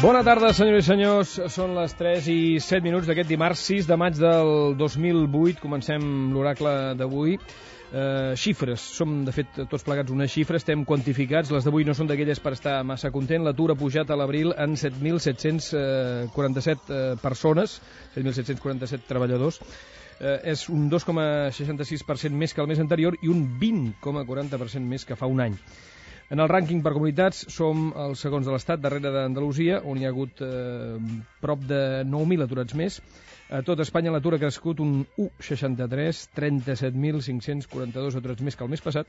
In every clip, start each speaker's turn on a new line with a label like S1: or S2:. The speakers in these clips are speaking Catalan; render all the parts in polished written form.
S1: Bona tarda, senyores i senyors. Són les 3 i 7 minuts d'aquest dimarts 6 de maig del 2008. Comencem l'oracle d'avui. Xifres. Som, de fet, tots plegats una xifra. Estem quantificats. Les d'avui no són d'aquelles per estar massa content. L'atur ha pujat a l'abril en 7.747 persones, 7.747 treballadors. És un 2,66% més que el mes anterior i un 20,40% més que fa un any. En el rànquing per comunitats som els segons de l'Estat, darrere d'Andalusia, on hi ha hagut prop de 9.000 aturats més. A tot Espanya l'atur ha crescut un 1,63, 37.542 aturats més que el mes passat,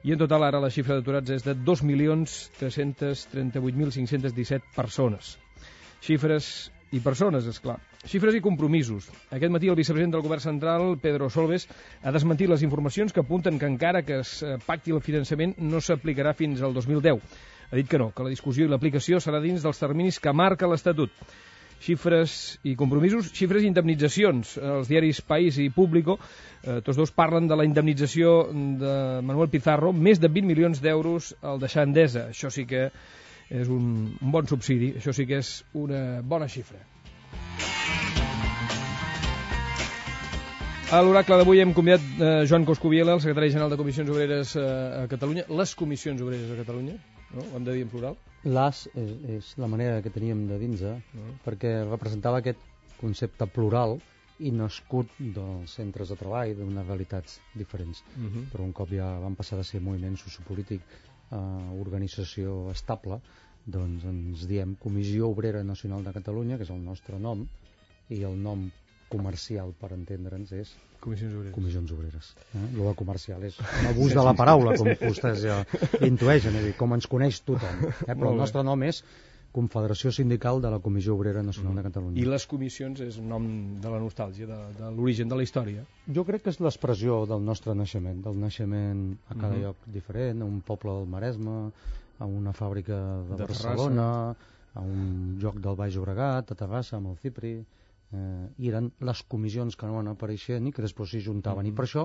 S1: i en total ara la xifra d'aturats és de 2.338.517 persones. Xifres i persones, esclar. Xifres i compromisos. Aquest matí el vicepresident del govern central, Pedro Solbes, ha desmentit les informacions que apunten que encara que es pacti el finançament no s'aplicarà fins al 2010. Ha dit que no, que la discussió i l'aplicació serà dins dels terminis que marca l'Estatut. Xifres i compromisos, xifres i indemnitzacions. Els diaris País i Público, tots dos parlen de la indemnització de Manuel Pizarro, més de 20 milions d'euros al deixar Endesa. Això sí que és un bon subsidi, això sí que és una bona xifra. A l'oracle d'avui hem convidat Joan Coscubiela, el secretari general de Comissions Obreres a Catalunya. Les Comissions Obreres a Catalunya, no? Ho hem de dir en plural?
S2: Les és la manera que teníem de dir-nos, perquè representava aquest concepte plural i nascut dels centres de treball, d'unes realitats diferents. Però un cop ja van passar de ser moviment sociopolític a organització estable, doncs ens diem Comissió Obrera Nacional de Catalunya, que és el nostre nom, i el nom comercial, per entendre'ns, és Comissions Obreres. Lo de comercial és un abús de la paraula, com vostès ja intueixen, és a dir, com ens coneix tothom. Però el nostre nom és Confederació Sindical de la Comissió Obrera Nacional de Catalunya.
S1: I les comissions és un nom de la nostàlgia, de l'origen de la història?
S2: Jo crec que és l'expressió del nostre naixement, del naixement a cada lloc diferent, a un poble del Maresme, a una fàbrica de Barcelona, a un lloc del Baix Llobregat, a Terrassa, amb el Cipri. I eren les comissions que no van apareixent i que després s'hi juntaven. I per això,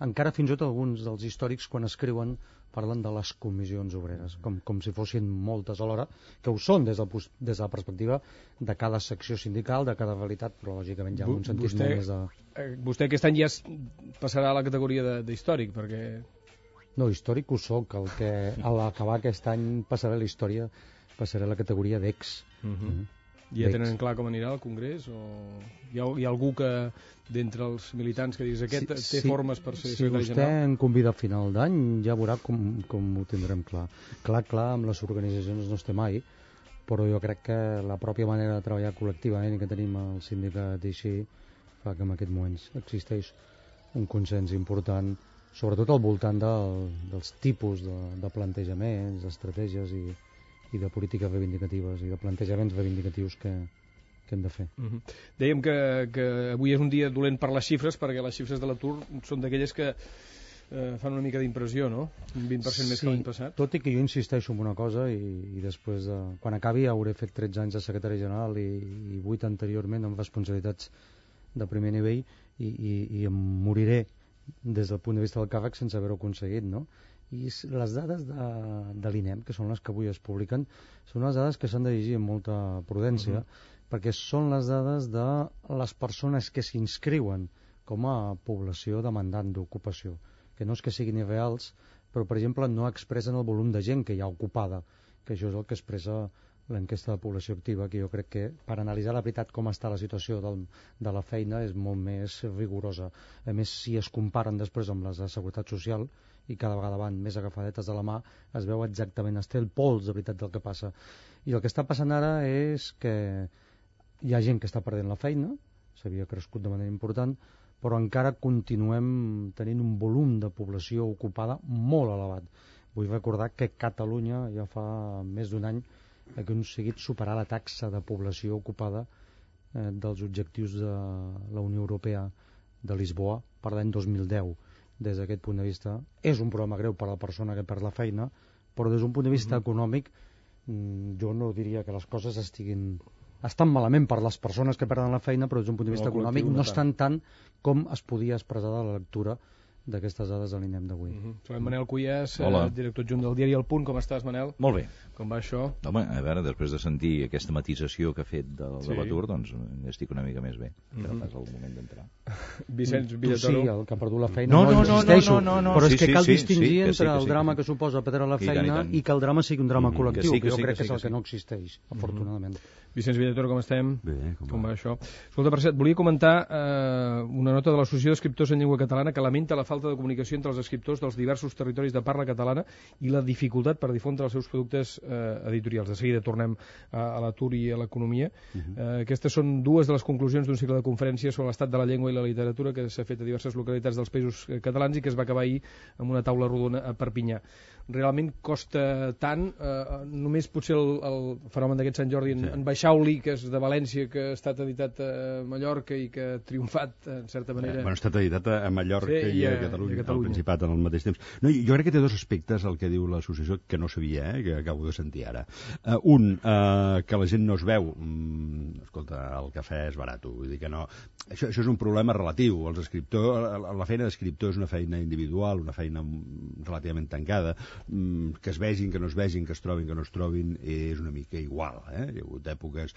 S2: encara fins i tot alguns dels històrics, quan escriuen, parlen de les comissions obreres, com si fossin moltes alhora, que ho són des de la perspectiva de cada secció sindical, de cada realitat, però lògicament ja en un sentit molt més de...
S1: Vostè aquest any ja passarà a la categoria d'històric, perquè...
S2: No, històric ho soc, el que a l'acabar aquest any passaré a la història, passaré a la categoria d'ex.
S1: Ja tenen clar com anirà el Congrés? O hi ha algú que, d'entre els militants, que dius aquest té formes per ser secretari general?
S2: Si vostè em convida a final d'any, ja veurà com ho tindrem clar. Clar, amb les organitzacions no estem mai, però jo crec que la pròpia manera de treballar col·lectivament que tenim al sindicat i així fa que en aquests moments existeix un consens important, sobretot al voltant dels tipus de plantejaments, d'estratègies i de polítiques reivindicatives i de plantejaments reivindicatius que hem de fer.
S1: Dèiem que avui és un dia dolent per les xifres, perquè les xifres de l'atur són d'aquelles que fan una mica d'impressió, no? Un 20% més que l'any passat.
S2: Tot i que jo insisteixo en una cosa i després, quan acabi, hauré fet 13 anys de secretari general i 8 anteriorment amb responsabilitats de primer nivell i em moriré des del punt de vista del càrrec sense haver-ho aconseguit, no? I les dades de l'INEM, que són les que avui es publiquen, són les dades que s'han de llegir amb molta prudència, perquè són les dades de les persones que s'inscriuen com a població demandant d'ocupació, que no és que siguin irreals, però, per exemple, no expressen el volum de gent que hi ha ocupada, que això és el que expressa l'enquesta de població activa, que jo crec que per analitzar la veritat com està la situació de la feina és molt més rigorosa. A més, si es comparen després amb les de Seguretat Social, i cada vegada van més agafadetes de la mà, es veu exactament, es té el pols de veritat del que passa. I el que està passant ara és que hi ha gent que està perdent la feina, s'havia crescut de manera important, però encara continuem tenint un volum de població ocupada molt elevat. Vull recordar que Catalunya ja fa més d'un any ha aconseguit superar la taxa de població ocupada dels objectius de la Unió Europea de Lisboa per l'any 2010. Des d'aquest punt de vista és un problema greu per a la persona que perd la feina, però des d'un punt de vista econòmic jo no diria que les coses estan malament per les persones que perden la feina, però des d'un punt de vista econòmic no estan tant com es podia expressar de la lectura d'aquestes dades a l'INEM d'avui.
S1: Trobem Manel Cuyàs,
S3: Hola.
S1: director adjunt del diari El Punt. Com estàs, Manel?
S3: Molt bé.
S1: Com va això?
S3: Home, a veure, després de sentir aquesta matització que ha fet de l'atur, doncs estic una mica més bé. Ara pas el moment d'entrar.
S1: Vicenç
S2: Tu
S1: Villatoro.
S2: sí, el que ha perdut la feina.
S3: No,
S2: insisteixo.
S3: no.
S2: Però
S3: Sí,
S2: és que cal
S3: sí,
S2: distingir
S3: sí, que
S2: entre
S3: sí,
S2: el drama que suposa perdre la
S3: I tant,
S2: feina
S3: i tant.
S2: i que el drama sigui un drama col·lectiu,
S3: que sí,
S2: que jo
S3: que
S2: crec
S3: sí,
S2: que és el
S3: que
S2: que
S3: sí.
S2: no existeix, afortunadament.
S1: Vicenç Villatoro, com estem?
S4: Bé,
S1: Com va això? Escolta, per cert, volia comentar una nota de l'Associació d'Escriptors en Llengua Catalana que lamenta la falta de comunicació entre els escriptors dels diversos territoris de parla catalana i la dificultat per difondre els seus productes editorials. De seguida tornem a l'atur i a l'economia. Aquestes són dues de les conclusions d'un cicle de conferències sobre l'estat de la llengua i la literatura que s'ha fet a diverses localitats dels països catalans i que es va acabar ahir amb una taula rodona a Perpinyà. Realment costa tant, només potser el fenomen d'aquest Sant Jordi en Baixauli, que és de València, que ha estat editat a Mallorca i que ha triomfat, en certa manera.
S4: Bueno, ha estat editat a Mallorca i a Catalunya, al Principat, al mateix temps. No, jo crec que té dos aspectes, el que diu l'associació, que no sabia, que acabo de sentir ara. Un, que la gent no es veu. Escolta, el cafè és barat, vull dir que no. Això és un problema relatiu. Els escriptors, la feina d'escriptor és una feina individual, una feina relativament tancada. Que es vegin, que no es vegin, que es trobin, que no es trobin, és una mica igual. Hi ha hagut èpoques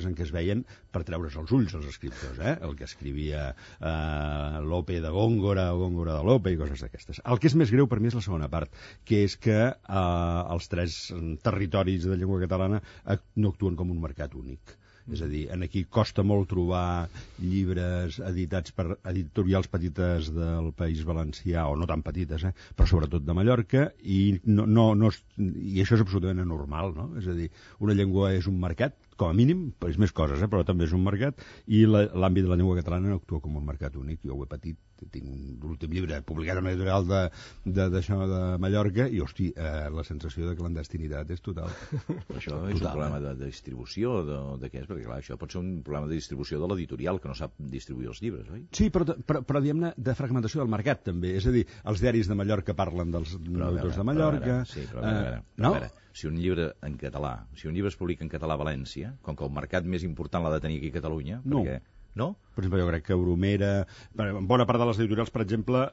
S4: en què es veien per treure's els ulls els escriptors, el que escrivia Lope de Góngora o Góngora de Lope i coses d'aquestes. El que és més greu per mi és la segona part, que és que els tres territoris de llengua catalana no actuen com un mercat únic. És a dir, aquí costa molt trobar llibres editats per editorials petites del País Valencià, o no tan petites, però sobretot de Mallorca, i això és absolutament anormal, no? És a dir, una llengua és un mercat, com a mínim, és més coses, però també és un mercat, i l'àmbit de la llengua catalana no actua com un mercat únic. Jo ho he patit, tinc l'últim llibre publicat en l'editorial d'això de Mallorca, i, hosti, la sensació de clandestinitat és total.
S3: Això és un problema de distribució, de què és? Perquè, clar, això pot ser un problema de distribució de l'editorial, que no sap distribuir els llibres, oi?
S4: Sí, però diguem-ne, de fragmentació del mercat, també. És a dir, els diaris de Mallorca parlen dels editors de Mallorca.
S3: A veure, si un llibre en català, si un llibre es publica en català a València, com que el mercat més important l'ha de tenir aquí a Catalunya, perquè... No?
S4: Per exemple, jo crec que Bromera... Bona part de les editorials, per exemple,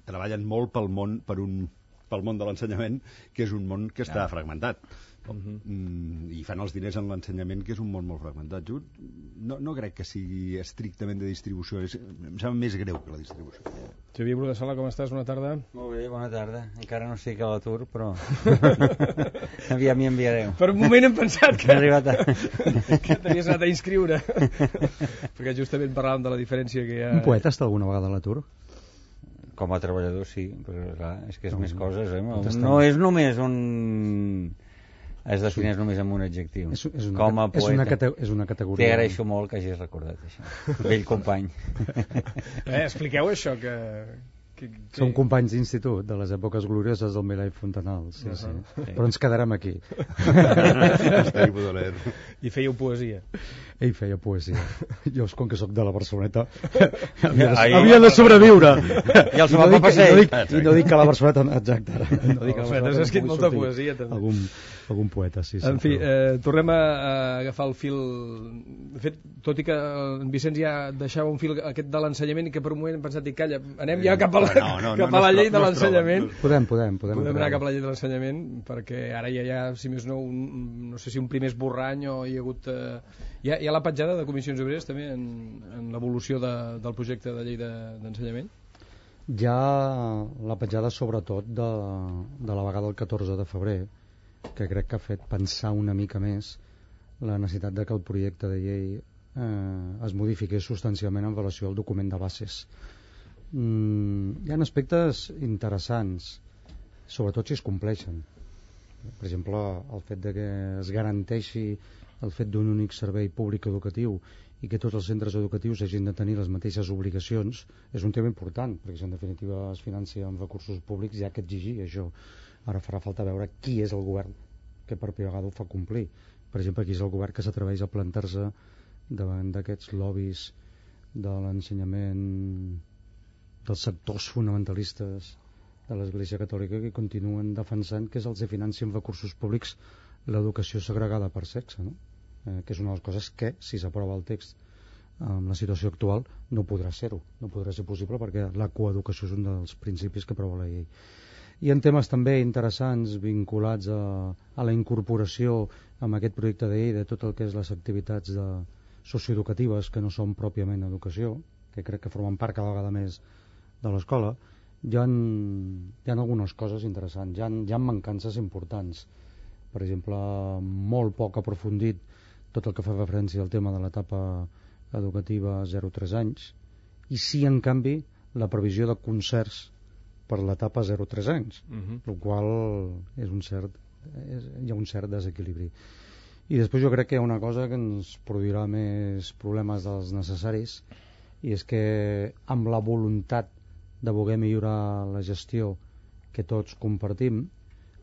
S4: treballen molt pel món de l'ensenyament, que és un món que està fragmentat. I fan els diners en l'ensenyament, que és un món molt fragmentat. Jo no crec que sigui estrictament de distribució, em sembla més greu que la distribució.
S1: Xavier Bru de Sala, com estàs? Bona tarda.
S5: Molt bé, bona tarda. Encara no estic a l'atur, però aviam m'hi enviareu.
S1: Per un moment hem pensat que
S5: t'havies
S1: anat a inscriure, perquè justament parlàvem de la diferència que hi ha...
S2: Un poeta està alguna vegada a l'atur?
S5: Com a treballador sí, però clar, és que és més coses, no és només un... es defineix només amb un adjectiu. Com a poeta.
S2: És una categoria.
S5: T'hi agraeixo molt que hagis recordat això. Vell company.
S1: Expliqueu això, que...
S2: Som companys d'institut, de les èpoques glorioses del Milà i Fontanal, sí. Però ens quedarem aquí.
S1: I fèieu poesia.
S2: Ell feia poesia. Jo, com que sóc de la Barceloneta, havia de sobreviure.
S5: I el va passar.
S2: I no dic que la Barceloneta... Exacte.
S1: No dic que la Barceloneta has escrit molta poesia, també.
S2: Algun poeta, sí.
S1: En fi, tornem a agafar el fil. De fet, tot i que en Vicenç ja deixava un fil aquest de l'ensenyament i que per un moment hem pensat, calla, anem ja cap a la llei de l'ensenyament.
S2: Podem
S1: anar cap a la llei de l'ensenyament, perquè ara ja hi ha, si més no, no sé si un primer esborrany o hi ha hagut... Hi ha la petjada de Comissions Obreres també en l'evolució del projecte de llei d'ensenyament?
S2: Hi ha la petjada sobretot de la vegada del 14 de febrer, que crec que ha fet pensar una mica més la necessitat de que el projecte de llei es modifiqués substancialment en relació al document de bases. Hi ha aspectes interessants, sobretot si es compleixen. Per exemple, el fet de que es garanteixi el fet d'un únic servei públic educatiu i que tots els centres educatius hagin de tenir les mateixes obligacions és un tema important, perquè si en definitiva es financia amb recursos públics hi ha que exigir això. Ara farà falta veure qui és el govern que per primera vegada ho fa complir. Per exemple, qui és el govern que s'atreveix a plantar-se davant d'aquests lobbies de l'ensenyament dels sectors fonamentalistes de l'Església Catòlica que continuen defensant que se'ls financia amb recursos públics l'educació segregada per sexe, no? Que és una de les coses que, si s'aprova el text amb la situació actual no podrà ser-ho, no podrà ser possible perquè la coeducació és un dels principis que preveu la llei. I en temes també interessants vinculats a la incorporació amb aquest projecte de llei de tot el que és les activitats socioeducatives que no són pròpiament educació, que crec que formen part cada vegada més de l'escola, hi ha algunes coses interessants, hi ha mancances importants. Per exemple, molt poc aprofundit tot el que fa referència al tema de l'etapa educativa 0-3 anys, i sí, en canvi, la previsió de concerts per l'etapa 0-3 anys, el qual hi ha un cert desequilibri. I després jo crec que hi ha una cosa que ens produirà més problemes dels necessaris, i és que amb la voluntat de voler millorar la gestió que tots compartim,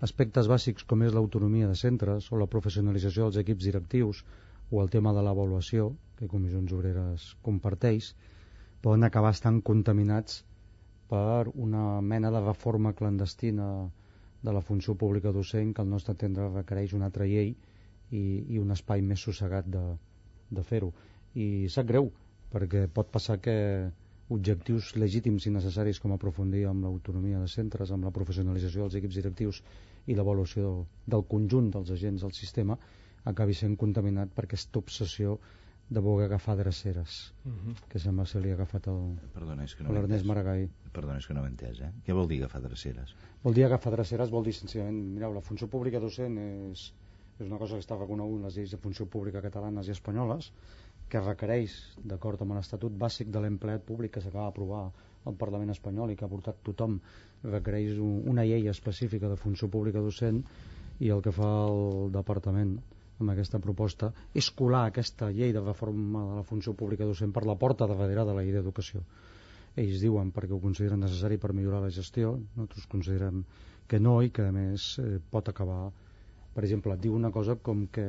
S2: aspectes bàsics com és l'autonomia de centres o la professionalització dels equips directius o el tema de l'avaluació, que Comissions Obreres comparteix, poden acabar estant contaminats per una mena de reforma clandestina de la funció pública docent que al nostre entendre requereix una altra llei i un espai més sossegat de fer-ho. I sap greu, perquè pot passar que objectius legítims i necessaris com aprofundir amb l'autonomia de centres, amb la professionalització dels equips directius i l'avaluació del conjunt dels agents del sistema acabi sent contaminat per aquesta obsessió de voler agafar dreceres, que sembla que se li ha agafat l'Ernest Maragall.
S3: Perdona, és que no ho he entès, Què vol dir agafar dreceres?
S2: Vol dir agafar dreceres, vol dir senzillament, mireu, la funció pública docent és una cosa que està reconeguda en les lleis de funció pública catalanes i espanyoles, que requereix, d'acord amb l'Estatut Bàsic de l'Empleat Públic que s'acaba d'aprovar al Parlament espanyol i que ha portat tothom, requereix una llei específica de funció pública docent, i el que fa el Departament amb aquesta proposta és colar aquesta llei de reforma de la funció pública docent per la porta de darrere de la llei d'educació. Ells diuen perquè ho consideren necessari per millorar la gestió, nosaltres considerem que no, i que a més pot acabar, per exemple, diu una cosa com que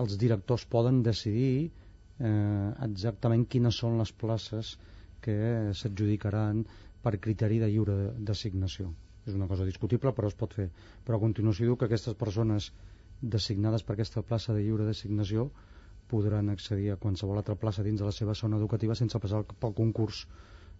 S2: els directors poden decidir exactament quines són les places que s'adjudicaran per criteri de lliure designació. És una cosa discutible, però es pot fer. Però a continuació diu que aquestes persones designades per aquesta plaça de lliure designació podran accedir a qualsevol altra plaça dins de la seva zona educativa sense passar pel concurs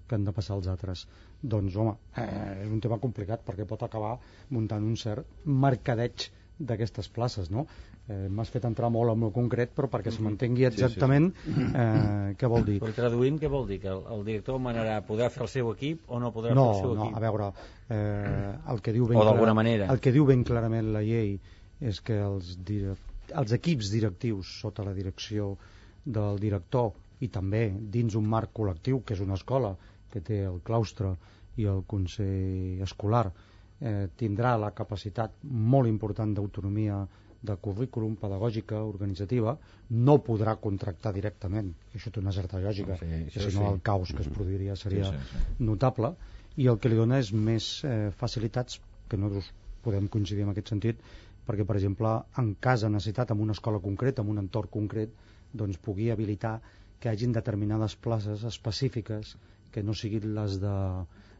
S2: que han de passar els altres. Doncs, home, és un tema complicat perquè pot acabar muntant un cert mercadeig d'aquestes places, no? M'has fet entrar molt en el concret, però perquè se m'entengui exactament què vol dir.
S5: Però traduïm, què vol dir? Que el director manarà podrà fer el seu equip o no podrà fer el seu equip?
S2: No, a veure, el que diu ben
S5: o d'alguna manera.
S2: El que diu ben clarament la llei és que els equips directius sota la direcció del director i també dins un marc col·lectiu, que és una escola que té el claustre i el consell escolar, tindrà la capacitat molt important d'autonomia de currículum, pedagògica, organitzativa, no podrà contractar directament, això té una certa lògica, si no el caos que es produiria seria notable, i el que li dona és més facilitats, que nosaltres podem coincidir en aquest sentit, perquè, per exemple, en cas de necessitat, en una escola concreta, en un entorn concret, doncs pugui habilitar que hagin determinades places específiques que no siguin les de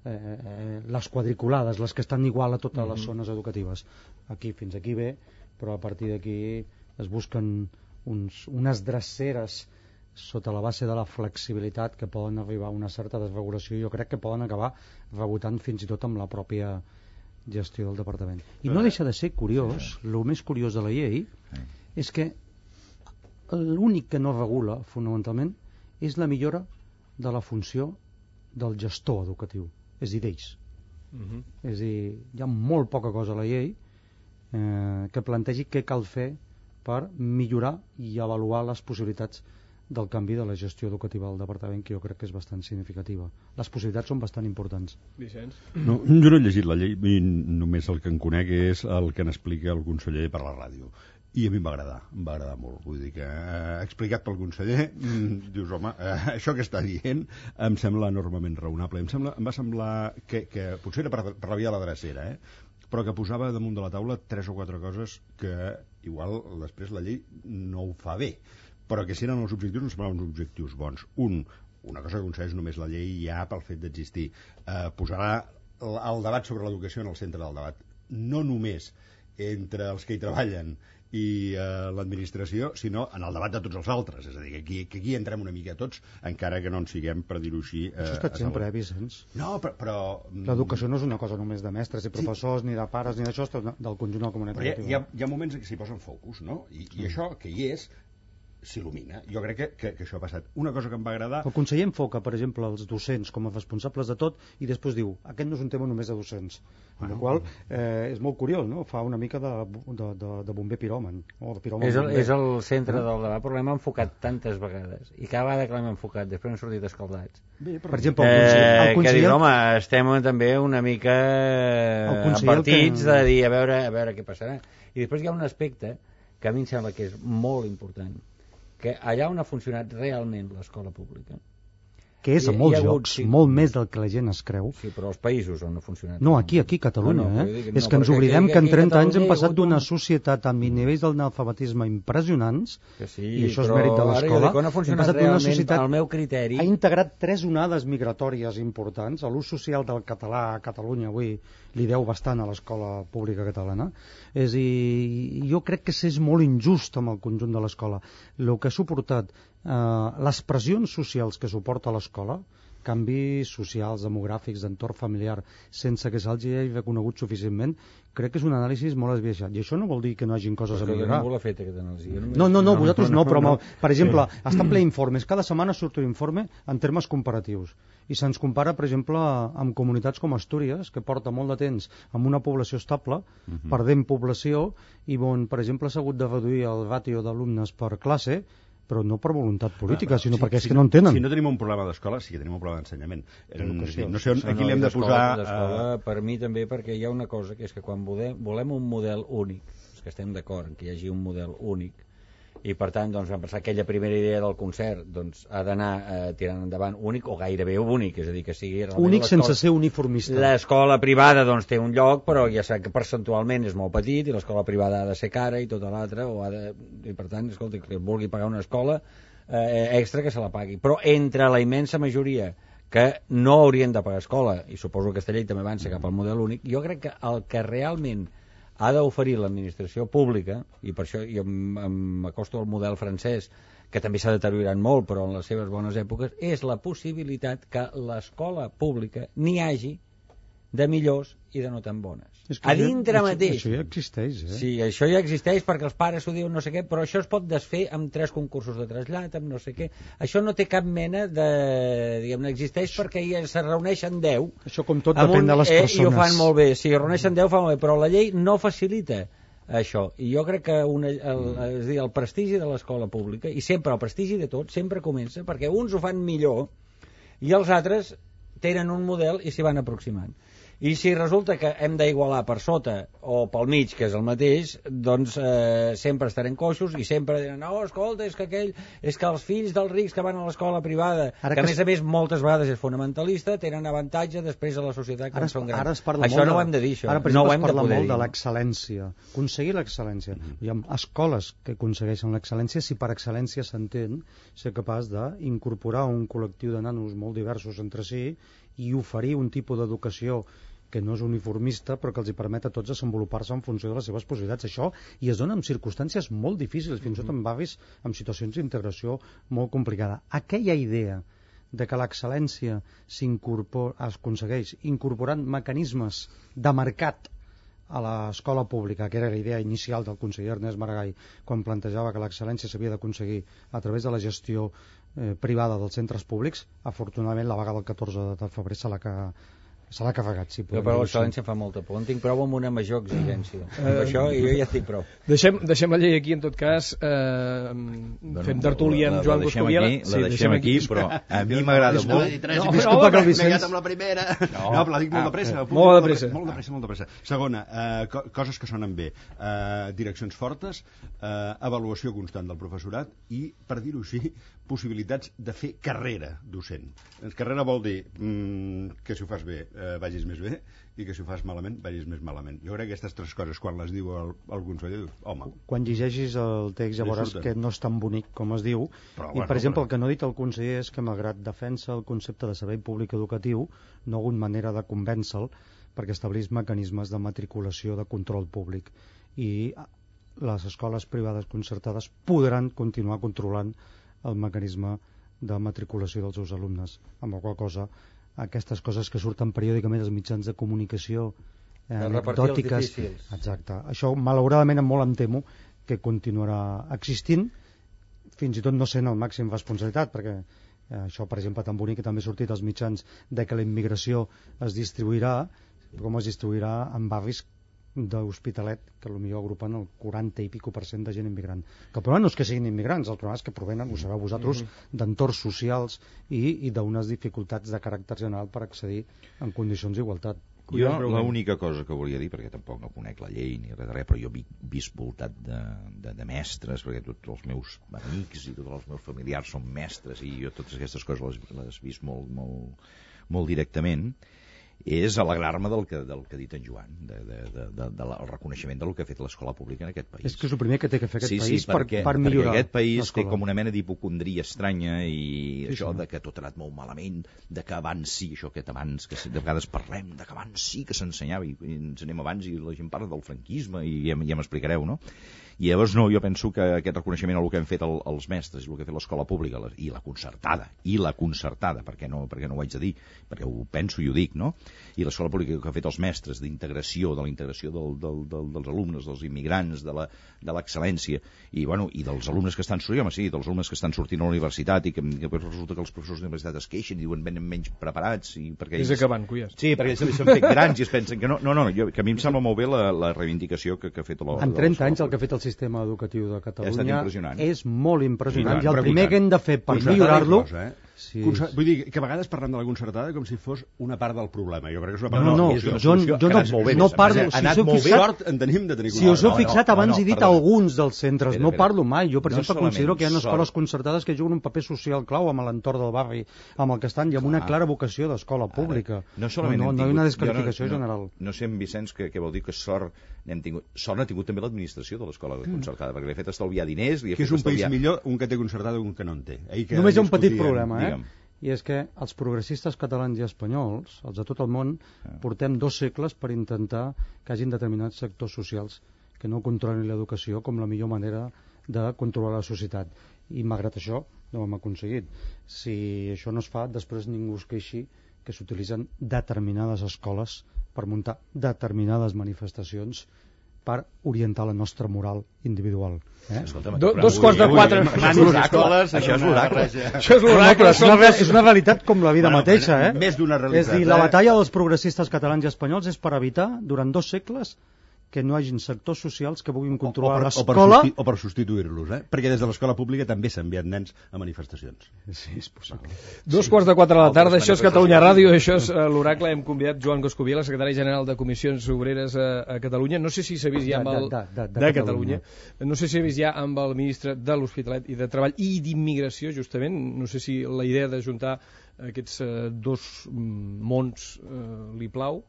S2: les quadriculades, les que estan igual a totes les zones educatives. Fins aquí bé, però a partir d'aquí es busquen unes dreceres sota la base de la flexibilitat que poden arribar a una certa desregulació i jo crec que poden acabar rebotant fins i tot amb la pròpia gestió del departament. I no deixa de ser curiós, el més curiós de la llei és que l'únic que no regula fonamentalment és la millora de la funció del gestor educatiu, és a dir, d'ells. És a dir, hi ha molt poca cosa a la llei que plantegi què cal fer per millorar i avaluar les possibilitats del canvi de la gestió educativa del departament, que jo crec que és bastant significativa. Les possibilitats són bastant importants.
S1: Vicenç?
S4: No, jo no he llegit la llei, només el que en conec és el que n'explica el conseller per la ràdio. I a mi em va agradar molt. Vull dir que explicat pel conseller, dius, home, això que està dient em sembla enormement raonable. Em va semblar que potser era per la via de la drecera, però que posava damunt de la taula 3 o 4 coses que igual després la llei no ho fa bé, però que si eren els objectius em semblaven uns objectius bons. Una cosa que aconsegueix només la llei ja pel fet d'existir, posarà el debat sobre l'educació en el centre del debat, no només entre els que hi treballen i l'administració, sinó en el debat de tots els altres. És a dir, que aquí entrem una mica tots, encara que no en siguem, per dir-ho així...
S2: Això ha estat sempre, Vicenç?
S4: No, però...
S2: L'educació no és una cosa només de mestres i professors, ni de pares, ni d'això, del conjunt de la comunitat educativa.
S4: Hi ha moments en què s'hi posen focus, no? I això, que hi és, s'il·lumina. Jo crec que això ha passat. Una cosa que em va agradar...
S2: El conseller enfoca, per exemple, els docents com a responsables de tot i després diu, aquest no és un tema només de docents. Amb la qual és molt curiós, no? Fa una mica de bomber piròman.
S5: És el centre del debat, però l'hem enfocat tantes vegades. I cada vegada que l'hem enfocat, després hem sortit escaldats.
S2: Per exemple, el conseller...
S5: Que dius, home, estem també una mica partits de dir, a veure què passarà. I després hi ha un aspecte que a mi em sembla que és molt important, que allà on ha funcionat realment l'escola pública,
S2: que és a molts llocs, molt més del que la gent es creu.
S5: Sí, però als països on ha funcionat.
S2: No, aquí a Catalunya. És que ens oblidem que en 30 anys hem passat d'una societat amb nivells d'analfabetisme impressionants, i això és mèrit de l'escola.
S5: On ha funcionat realment, al meu criteri...
S2: Ha integrat 3 onades migratòries importants. L'ús social del català a Catalunya avui li deu bastant a l'escola pública catalana. És a dir, jo crec que és molt injust amb el conjunt de l'escola. El que ha suportat les pressions socials que suporta l'escola, canvis socials, demogràfics, d'entorn familiar, sense que se'ls hagi reconegut suficientment, crec que és un anàlisi molt esbiaixat. I això no vol dir que no hagin coses a millorar.
S5: Ningú l'ha fet, aquesta anàlisi.
S2: No, vosaltres no, però, per exemple, està ple informes. Cada setmana surt un informe en termes comparatius. I se'ns compara, per exemple, amb comunitats com Astúries, que porta molt de temps amb una població estable, perdent població, i on, per exemple, s'ha hagut de reduir el ràtio d'alumnes per classe, però no per voluntat política, sinó perquè és que no en tenen.
S4: Si no tenim un problema d'escola, sí que tenim un problema d'ensenyament. No sé on, aquí l'hem de posar...
S5: Per mi també, perquè hi ha una cosa, que és que quan volem un model únic, que estem d'acord en que hi hagi un model únic, i per tant doncs, vam pensar que aquella primera idea del concert doncs, ha d'anar tirant endavant únic o gairebé únic, és a dir, que sigui
S2: únic sense ser uniformista.
S5: L'escola privada doncs, té un lloc, però ja sap que percentualment és molt petit i l'escola privada ha de ser cara i tota l'altra, i per tant, escolta, que vulgui pagar una escola extra que se la pagui. Però entre la immensa majoria que no haurien de pagar escola, i suposo que aquesta llei també avança cap al model únic, jo crec que el que realment ha d'oferir l'administració pública, i per això jo m'acosto al model francès, que també s'ha deteriorat molt, però en les seves bones èpoques, és la possibilitat que l'escola pública n'hi hagi de millors i de no tan bones. A dintre mateix.
S2: Això ja existeix,
S5: Sí, això ja existeix perquè els pares ho diuen no sé què, però això es pot desfer amb 3 concursos de trasllat, amb no sé què. Això no té cap mena de... diguem-ne, existeix perquè se reuneixen 10.
S2: Això com tot depèn de les persones.
S5: I ho fan molt bé. Si reuneixen 10 fa molt bé, però la llei no facilita això. I jo crec que és dir, el prestigi de l'escola pública, i sempre el prestigi de tot, sempre comença perquè uns ho fan millor i els altres tenen un model i s'hi van aproximant. I si resulta que hem d'igualar per sota o pel mig, que és el mateix, doncs sempre estarem coixos i sempre diran, no, escolta, és que els fills dels rics que van a l'escola privada, que a més moltes vegades és fonamentalista, tenen avantatge després a la societat quan són grans. Això no ho hem de dir, això.
S2: Ara, per exemple, es parla molt de l'excel·lència. Aconseguir l'excel·lència. Hi ha escoles que aconsegueixen l'excel·lència si per excel·lència s'entén ser capaç d'incorporar un col·lectiu de nanos molt diversos entre si i oferir un tipus d'educació que no és uniformista, però que els hi permet a tots desenvolupar-se en funció de les seves possibilitats. Això i es dona en circumstàncies molt difícils, fins i tot en barris amb situacions d'integració molt complicada. Aquella idea de que l'excel·lència es aconsegueix incorporant mecanismes de mercat a l'escola pública, que era la idea inicial del conseller Ernest Maragall, quan plantejava que l'excel·lència s'havia d'aconseguir a través de la gestió privada dels centres públics, afortunadament la vaga del 14 de febrer se l'ha carregat. Si
S5: jo per l'excel·lència fa molta por. En tinc prou amb una major exigència. Això i jo ja estic prou.
S1: Deixem la llei aquí, en tot cas. Fem tertúlia amb Joan Coscubiela.
S3: La deixem aquí, però a mi m'agrada molt.
S2: Disculpa que el Vicenç...
S4: M'he amb la primera. No, però la dic molt de pressa.
S1: Molt de pressa.
S4: Segona, coses que sonen bé. Direccions fortes, avaluació constant del professorat i, per dir-ho així, possibilitats de fer carrera docent. Carrera vol dir que si ho fas bé vagis més bé i que si ho fas malament vagis més malament. Jo crec que aquestes 3 coses, quan les diu el conseller, home...
S2: Quan llegeixis el text ja veuràs que no és tan bonic com es diu. I, per exemple, el que no ha dit el conseller és que, malgrat defensa el concepte de servei públic educatiu, no ha hagut manera de convèncer-lo perquè establís mecanismes de matriculació de control públic. I les escoles privades concertades podran continuar controlant el mecanisme de matriculació dels seus alumnes, amb la qual cosa aquestes coses que surten periòdicament als mitjans de comunicació anecdòtiques, exacte, això malauradament molt em temo que continuarà existint, fins i tot no sent el màxim responsabilitat, perquè això, per exemple, tan bonic que també ha sortit als mitjans de que la immigració es distribuirà, com es distribuirà en barris d'Hospitalet, que potser agrupen el 40 i pico % de gent immigrant. Que el problema no és que siguin immigrants, el problema és que provenen, ho sabeu vosaltres, d'entorns socials i d'unes dificultats de caràcter general per accedir en condicions d'igualtat.
S3: Jo l'única cosa que volia dir, perquè tampoc no conec la llei ni res de res, però jo he vist voltat de mestres, perquè tots els meus amics i tots els meus familiars són mestres, i jo totes aquestes coses les he vist molt directament, és alegrar-me del que ha dit en Joan, del reconeixement del que ha fet l'escola pública en aquest país.
S2: És que és el primer que té que fer aquest país
S3: perquè
S2: millorar.
S3: Aquest país té com una mena d'hipocondria estranya i això de que tot ha anat molt malament, de que abans sí, això aquest abans, que de vegades parlem, de que abans sí que s'ensenyava i ens anem abans i la gent parla del franquisme i ja m'explicareu, no? I llavors no, jo penso que aquest reconeixement al que han fet els mestres i el que ha fet l'escola pública i la concertada, perquè no ho haig de dir, perquè ho penso i ho dic, no? I l'escola pública que ha fet els mestres d'integració, de la integració dels alumnes, dels immigrants, de l'excel·lència, i dels alumnes que estan sortint, dels alumnes que estan sortint a la universitat i que resulta que els professors de la universitat es queixen i diuen venen menys preparats.
S1: És acabant, Cuyàs.
S3: Sí, perquè ells s'han fet grans i es pensen que no, que a mi em sembla molt bé la reivindicació que ha fet
S2: en 30 anys el que ha fet el sistema educatiu de Catalunya és molt impressionant,
S4: i
S2: el primer que hem de fer per millorar-lo...
S4: Vull dir que a vegades parlem de la concertada com si fos una part del problema. Jo crec que és una part
S2: no parlo...
S4: Ha anat molt bé, sort en tenim de tenir
S2: si us heu fixat, abans he dit alguns dels centres, no parlo mai. Jo, per exemple, considero que hi ha escoles concertades que juguen un paper social clau amb l'entorn del barri amb el que estan i amb una clara vocació d'escola pública. No hi ha una desqualificació general.
S3: No sé, Vicenç, què vol dir que sort n'hem tingut. Sort n'ha tingut també l'administració de l'escola concertada, perquè li ha fet estalviar diners...
S4: Que és un país millor un que té concertada que un que no en té.
S2: Només hi ha un petit problema, i és que els progressistes catalans i espanyols, els de tot el món, portem 2 segles per intentar que hagin determinats sectors socials que no controlin l'educació com la millor manera de controlar la societat. I malgrat això no ho hem aconseguit. Si això no es fa, després ningú es queixi que s'utilitzen determinades escoles per muntar determinades manifestacions per orientar la nostra moral individual.
S1: 3:45.
S3: Això és l'oracle.
S2: És una realitat com la vida mateixa.
S4: Més d'una realitat.
S2: És dir, la batalla dels progressistes catalans i espanyols és per evitar, durant 2 segles, que no hagin sectors socials que puguin controlar l'escola...
S4: O per substituir-los, perquè des de l'escola pública també s'han enviat nens a manifestacions.
S2: Sí, és possible.
S1: 3:45 de la tarda, això és Catalunya Ràdio, això és l'Oracle. Hem convidat Joan Coscubiela, secretari general de Comissions Obreres a Catalunya. No sé si s'ha vist ja amb el... de Catalunya. No sé si s'ha vist ja amb el ministre de l'Hospitalet i de Treball i d'Immigració, justament. No sé si la idea d'ajuntar aquests 2 mons li plau.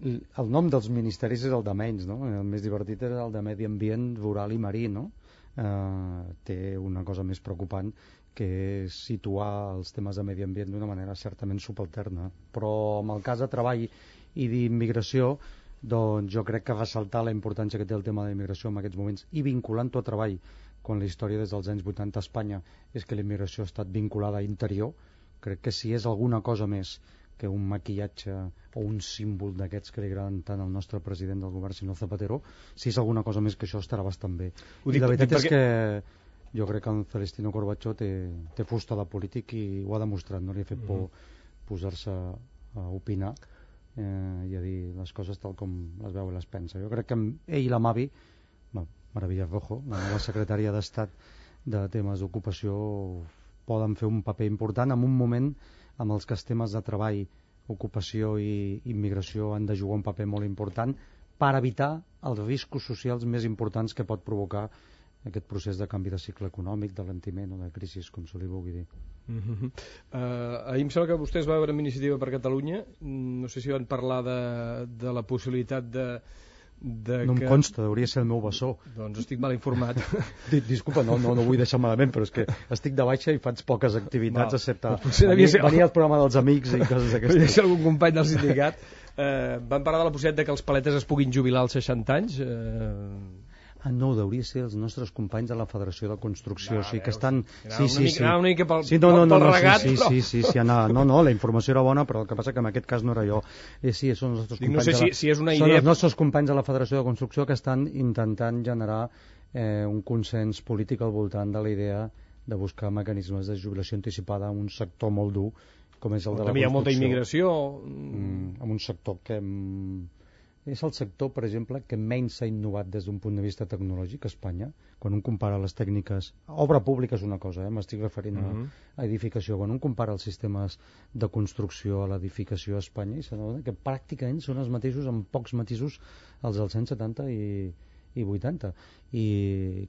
S2: El nom dels ministeris és el de menys, no? El més divertit és el de Medi Ambient, Rural i Marí, no? Té una cosa més preocupant que és situar els temes de medi ambient d'una manera certament subalterna, però en el cas de treball i d'immigració, doncs jo crec que ressaltar la importància que té el tema de l'immigració en aquests moments i vinculant-ho a treball, quan la història des dels anys 80 a Espanya és que la immigració ha estat vinculada a interior, crec que si és alguna cosa més que un maquillatge o un símbol d'aquests que li agraden tant al nostre president del govern, senyor Zapatero, si és alguna cosa més que això estarà bastant bé. I la veritat és que jo crec que en Celestino Corbacho té fusta de polític i ho ha demostrat, no li ha fet por posar-se a opinar i a dir les coses tal com les veu i les pensa. Jo crec que ell i la Mavi, Maravilla Rojo, la nova secretària d'Estat de temes d'ocupació, poden fer un paper important en un moment amb els que els temes de treball, ocupació i immigració han de jugar un paper molt important per evitar els riscos socials més importants que pot provocar aquest procés de canvi de cicle econòmic, d'alentiment o de crisi, com se li vulgui dir.
S1: Ahir em sembla que vostès va haver una iniciativa per Catalunya, no sé si van parlar de la possibilitat de
S2: no em consta, hauria de ser el meu bessó.
S1: Doncs estic mal informat.
S2: Disculpa, no vull deixar malament, però és que estic de baixa i faig poques activitats, excepte venir al programa dels amics i coses d'aquestes.
S1: Podria ser algun company del sindicat. Van parlar de la possibilitat que els paletes es puguin jubilar als 60 anys?
S2: no, hauria de ser els nostres companys de la Federació de Construcció, o sigui que estan...
S1: Una mica pel
S2: regat, sí, no, la informació era bona, però el que passa que en aquest cas no era jo. Sí, són els nostres companys,
S1: no sé si és una idea...
S2: Són els nostres companys de la Federació de Construcció que estan intentant generar un consens polític al voltant de la idea de buscar mecanismes de jubilació anticipada en un sector molt dur, com és el de la construcció.
S1: També hi ha molta immigració...
S2: En un sector que... És el sector, per exemple, que menys s'ha innovat des d'un punt de vista tecnològic a Espanya. Quan un compara les tècniques... Obra pública és una cosa, m'estic referint a edificació. Quan un compara els sistemes de construcció a l'edificació a Espanya, i s'adona que pràcticament són els mateixos, amb pocs matisos, els dels anys 70 i 80. I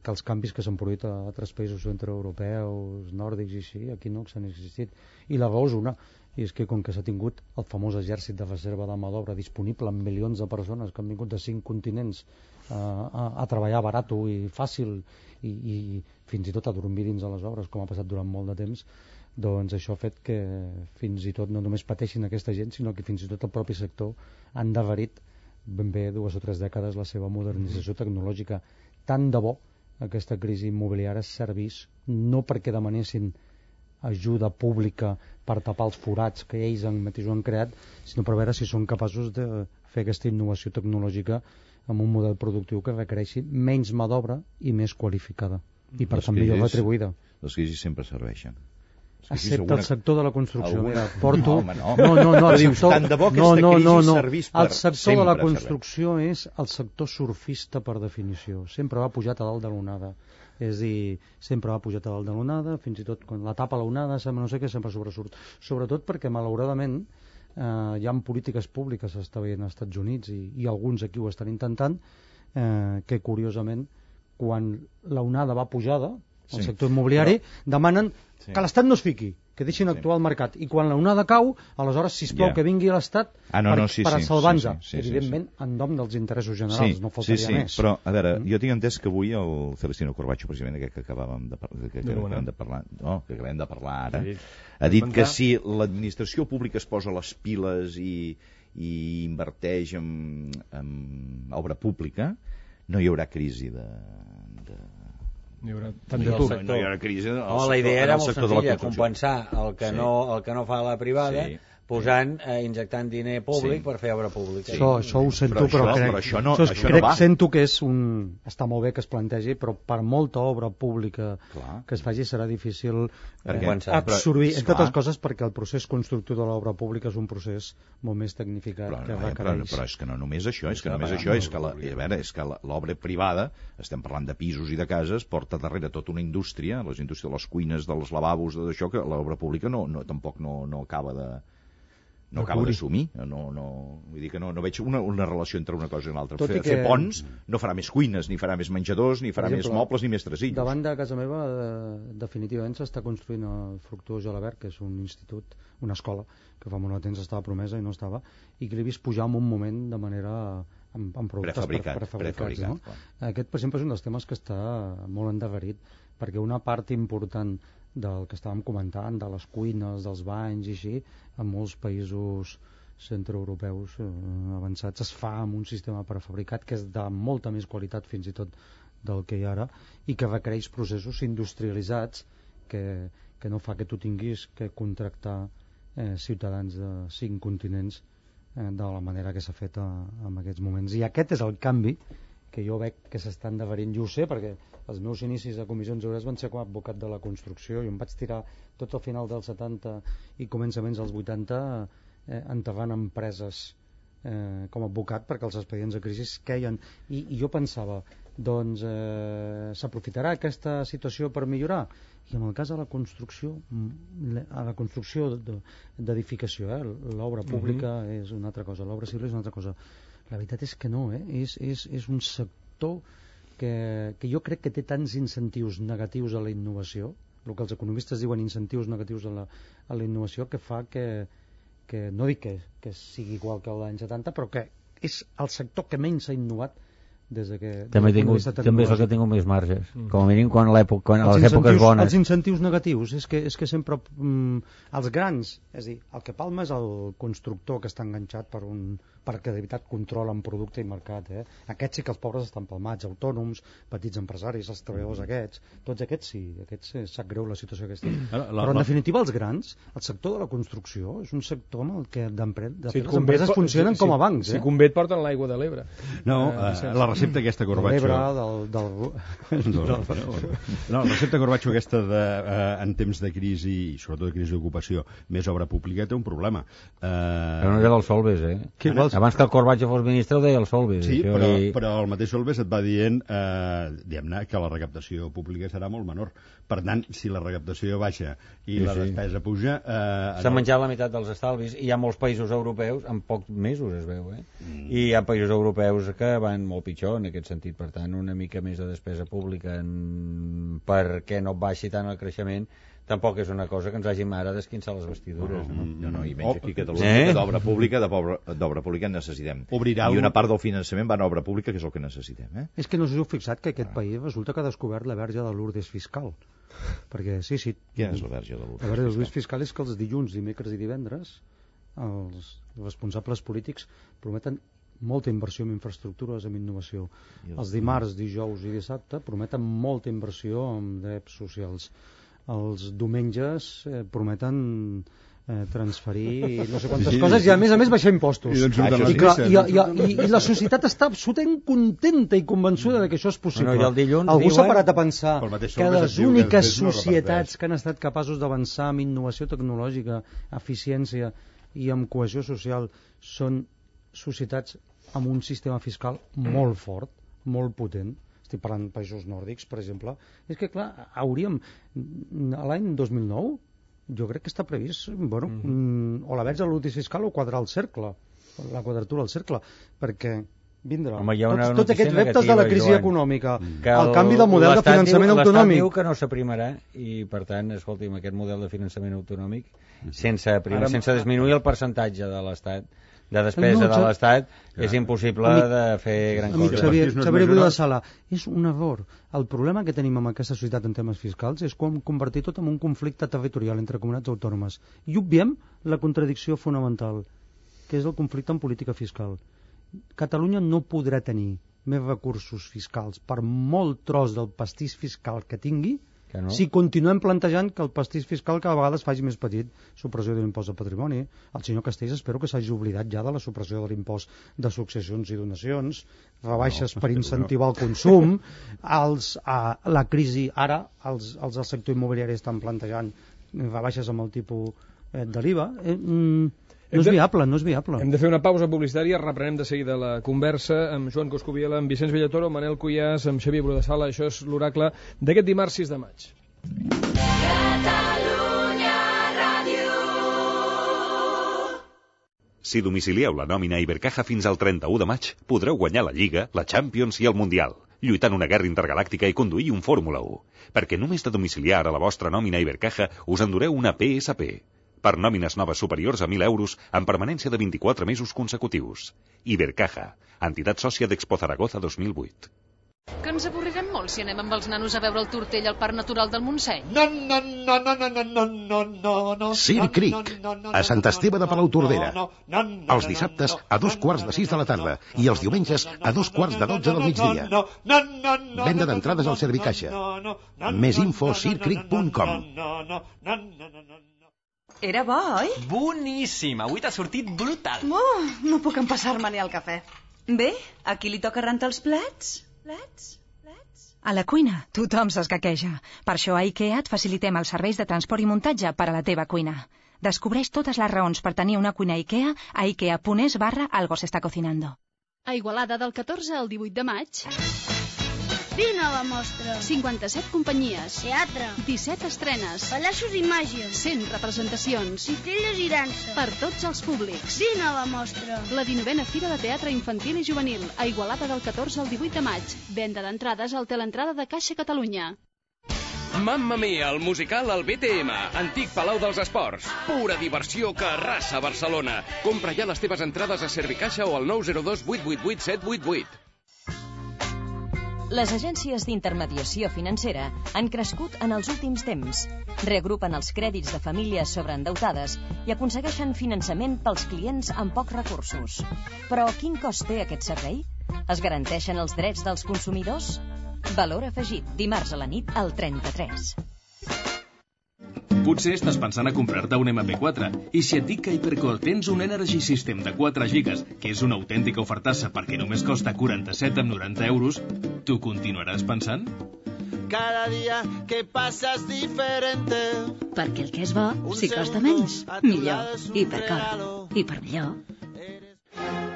S2: que els canvis que s'han produït a altres països centroeuropeus, nòrdics i així, aquí no s'han existit. I la raó és una, i és que com que s'ha tingut el famós exèrcit de reserva de mà d'obra disponible amb milions de persones que han vingut de 5 continents a treballar barat i fàcil i fins i tot a dormir dins de les obres, com ha passat durant molt de temps, doncs això ha fet que fins i tot no només pateixin aquesta gent, sinó que fins i tot el propi sector ha endarrerit ben bé 2 o 3 dècades la seva modernització tecnològica. Tant de bo aquesta crisi immobiliària servís no perquè demanessin ajuda pública per tapar els forats que ells mateixos han creat, sinó per veure si són capaços de fer aquesta innovació tecnològica amb un model productiu que requereixi menys mà d'obra i més qualificada i per tant millor retribuïda.
S3: Les crisis sempre serveixen.
S2: Excepte el sector de la construcció. Mira, porto...
S3: No,
S2: el sector...
S3: Tant de bo que aquesta crisi servís per
S2: el sector de la construcció és el sector surfista per definició. Sempre va pujat a dalt de l'onada. És a dir, sempre va pujat a dalt de l'onada, fins i tot quan la tapa l'onada, no sé què, sempre sobresurt. Sobretot perquè, malauradament, hi ha polítiques públiques que s'està veient als Estats Units i alguns aquí ho estan intentant, que, curiosament, quan l'onada va pujada, el sector immobiliari, demanen que l'Estat no es fiqui, que deixin actuar el mercat. I quan l'onada cau, aleshores, sisplau, que vingui l'Estat per salvar-nos. Evidentment, en nom dels interessos generals, no faltaria més.
S3: Sí, però, a veure, jo tinc entès que avui el Celestino Corbacho, precisament aquest que acabem de parlar ara, ha dit que si l'administració pública es posa les piles i inverteix en obra pública, no hi haurà crisi
S1: no hi
S3: haurà crisi
S5: la idea era molt senzilla, compensar el que no fa la privada posant, injectant diner públic per fer obra pública.
S2: Això ho sento, però crec sento que és està molt bé que es plantegi, però per molta obra pública que es faci serà difícil absorbir, entre altres coses perquè el procés constructiu de l'obra pública és un procés molt més tecnificat que requereix.
S3: Però és que no només això, és que l'obra privada, estem parlant de pisos i de cases, porta darrere tota una indústria, les indústries de les cuines, dels lavabos, d'això, que l'obra pública tampoc no acaba d'assumir. Vull dir que no veig una relació entre una cosa i l'altra. Fer ponts no farà més cuines, ni farà més menjadors, ni farà més mobles, ni més tresillos.
S2: Davant de casa meva, definitivament s'està construint el Fructuós Gelabert, que és un institut, una escola, que fa molt de temps estava promesa i no estava, i que l'he vist pujar en un moment de manera amb productes prefabricats. No? Aquest, per exemple, és un dels temes que està molt endarrerit, perquè una part important del que estàvem comentant, de les cuines, dels banys i així, en molts països centroeuropeus avançats es fa amb un sistema prefabricat que és de molta més qualitat fins i tot del que hi ha ara i que requereix processos industrialitzats que no fa que tu tinguis que contractar ciutadans de 5 continents de la manera que s'ha fet en aquests moments. I aquest és el canvi que jo veig que s'està endarrerint. Jo ho sé perquè els meus inicis de comissions obreres van ser com a advocat de la construcció i em vaig tirar tot al final dels 70 i començaments dels 80 enterrant empreses com a advocat perquè els expedients de crisi queien i jo pensava doncs s'aprofitarà aquesta situació per millorar i en el cas de la construcció d'edificació l'obra pública és una altra cosa, l'obra civil és una altra cosa. La veritat és que no, és un sector que jo crec que té tants incentius negatius a la innovació, el que els economistes diuen incentius negatius a la innovació, que fa que no dic que sigui igual que l'any 70, però que és el sector que menys s'ha innovat
S5: També és el que ha tingut més marges, com a mínim a les èpoques bones.
S2: Els incentius negatius és que sempre els grans, és a dir, el que palma és el constructor que està enganxat perquè de veritat controlen producte i mercat, Aquests sí que els pobres estan palmats, autònoms, petits empresaris, els treballadors aquests, tots aquests sí, sap greu la situació que estem. Però en definitiva els grans, el sector de la construcció és un sector en el que les empreses funcionen com a bancs.
S1: Si convé et porten l'aigua de l'Ebre.
S4: No, la recepta aquesta Corbacho... La recepta Corbacho aquesta en temps de crisi, i sobretot de crisi d'ocupació, més obra pública, té un problema.
S5: Però no era del Solbes, Abans que el Corbacho fos ministre ho deia el Solbes.
S4: Sí, però el mateix Solbes et va dient diguem-ne que la recaptació pública serà molt menor. Per tant, si la recaptació baixa i la despesa puja...
S5: S'ha menjat la meitat dels estalvis, i hi ha molts països europeus, en pocs mesos es veu, i hi ha països europeus que van molt pitjor en aquest sentit. Per tant, una mica més de despesa pública perquè no baixi tant el creixement tampoc és una cosa que ens hàgim ara d'esquinçar les vestidures.
S3: No, i menys aquí a Catalunya, que d'obra pública necessitem. I una part del finançament va a obra pública, que és el que necessitem.
S2: És que no us heu fixat que aquest país resulta que ha descobert la verge de Lourdes fiscal. Perquè, sí...
S3: Quina és la verge de Lourdes fiscal?
S2: La verge de Lourdes fiscal és que els dilluns, dimecres i divendres els responsables polítics prometen molta inversió en infraestructures, en innovació. Els dimarts, dijous i dissabte prometen molta inversió en drets socials. Els diumenges prometen transferir no sé quantes coses i a més baixar impostos. I la societat està absolutament contenta i convençuda de que això és possible. Algú s'ha parat a pensar que les úniques societats que han estat capaços d'avançar en innovació tecnològica, eficiència i amb cohesió social són societats amb un sistema fiscal molt fort, molt potent. Estic parlant de països nòrdics, per exemple. És que, clar, hauríem... L'any 2009, jo crec que està previst, o la verge de l'útil fiscal o quadrar el cercle, la quadratura del cercle, perquè vindrà tots aquests reptes de la crisi econòmica, el canvi del model de finançament autonòmic.
S5: L'Estat diu que no s'aprimarà i, per tant, escolti'm, aquest model de finançament autonòmic, sense disminuir el percentatge de l'Estat, de despesa de l'Estat, és impossible de fer gran cosa.
S2: Xavier Buida de Sala, és un error. El problema que tenim amb aquesta societat en temes fiscals és com convertir tot en un conflicte territorial entre comunitats autònomes. I obviem la contradicció fonamental, que és el conflicte en política fiscal. Catalunya no podrà tenir més recursos fiscals per molt tros del pastís fiscal que tingui si continuem plantejant que el pastís fiscal cada vegada es faci més petit. Supressió de l'impost de patrimoni. El senyor Castells espero que s'hagi oblidat ja de la supressió de l'impost de successions i donacions, rebaixes per incentivar el consum, la crisi ara, els del sector immobiliari estan plantejant rebaixes amb el tipus de l'IVA. No és viable.
S1: Hem de fer una pausa publicitària, reprenem de seguida la conversa amb Joan Coscubiela, amb Vicenç Bellatoro, amb Manel Cuyàs, amb Xavier Buida de Sala. Això és l'oracle d'aquest dimarts 6 de maig.
S6: Catalunya Ràdio.
S7: Si domicilieu la nòmina Ibercaja fins al 31 de maig, podreu guanyar la Lliga, la Champions i el Mundial, lluitant una guerra intergalàctica i conduir un Fórmula 1. Perquè només de domiciliar a la vostra nòmina Ibercaja us endureu una PSP. Per nòmines noves superiors a 1.000 euros amb permanència de 24 mesos consecutius. Ibercaja, entitat sòcia d'Expo Zaragoza 2008.
S6: Que ens avorrirem molt si anem amb els nanos a veure el Tortell al Parc Natural del Montseny.
S8: No. Circ Creek, a Sant Esteve de Palautordera. Els dissabtes a 2:45 de la tarda i els diumenges a 2:45 del migdia. Venda d'entrades al Servicaixa. Més info a circcreek.com.
S9: Era bo, oi?
S10: Boníssim, avui t'ha sortit brutal.
S9: No puc empassar-me ni el cafè. Bé, a qui li toca rentar els plats?
S11: A la cuina, tothom s'escaqueja. Per això a IKEA et facilitem els serveis de transport i muntatge per a la teva cuina. Descobreix totes les raons per tenir una cuina IKEA a ikea.es/algo se está cocinando.
S12: A Igualada del 14 al 18 de maig...
S13: Vine a la mostra.
S12: 57 companyies.
S13: Teatre.
S12: 17 estrenes.
S13: Pallassos i màgia.
S12: 100 representacions.
S13: Cistelles i dansa.
S12: Per tots els públics.
S13: Vine a la mostra.
S12: La 19a Fira de Teatre Infantil i Juvenil, a Igualada del 14 al 18 de maig. Venda d'entrades al Teleentrada de Caixa Catalunya.
S14: Mamma Mia, el musical al BTM, antic Palau dels Esports. Pura diversió que arrasa Barcelona. Compra ja les teves entrades a Servicaixa o al 902 888 788.
S15: Les agències d'intermediació financera han crescut en els últims temps. Reagrupen els crèdits de famílies sobreendeutades i aconsegueixen finançament pels clients amb pocs recursos. Però quin cost té aquest servei? Es garanteixen els drets dels consumidors? Valor afegit, dimarts a la nit al 33.
S14: Potser estàs pensant a comprar-te un MP4 i si et dic que a Hypercore tens un Energy System de 4 gigas, que és una autèntica ofertassa perquè només costa 47,90 euros, tu continuaràs pensant?
S16: Cada dia que passa és diferent.
S17: Perquè el que és bo, si costa menys, millor. Hypercore. Hipermillor.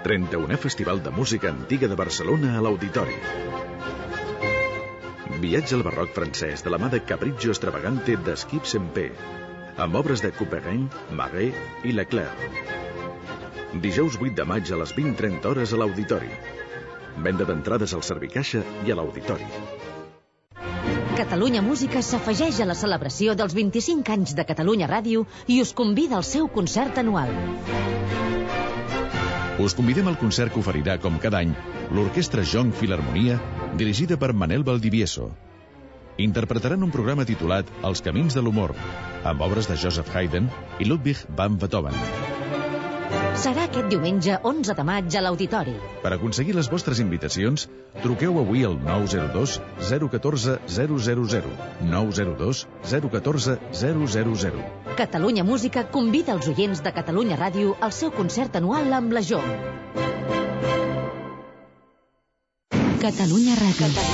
S18: 31è Festival de Música Antiga de Barcelona a l'Auditori. Viatge al barroc francès de la mà de Capriccio Extravagante d'Skip Sempé, amb obres de Couperin, Marais i Leclerc. Dijous 8 de maig a les 20:30 hores a l'Auditori. Venda d'entrades al Servicaixa i a l'Auditori.
S19: Catalunya Música s'afegeix a la celebració dels 25 anys de Catalunya Ràdio i us convida al seu concert anual.
S18: Us convidem al concert que oferirà, com cada any, l'Orquestra Jong Filharmonia, dirigida per Manel Valdivieso. Interpretaran un programa titulat Els camins de l'humor, amb obres de Joseph Haydn i Ludwig van Beethoven.
S19: Serà aquest diumenge 11 de maig a l'Auditori.
S18: Per aconseguir les vostres invitacions, truqueu avui al 902 014 000, 902 014 000.
S19: Catalunya Música convida els oients de Catalunya Ràdio al seu concert anual amb la JOM. Catalunya Ràdio.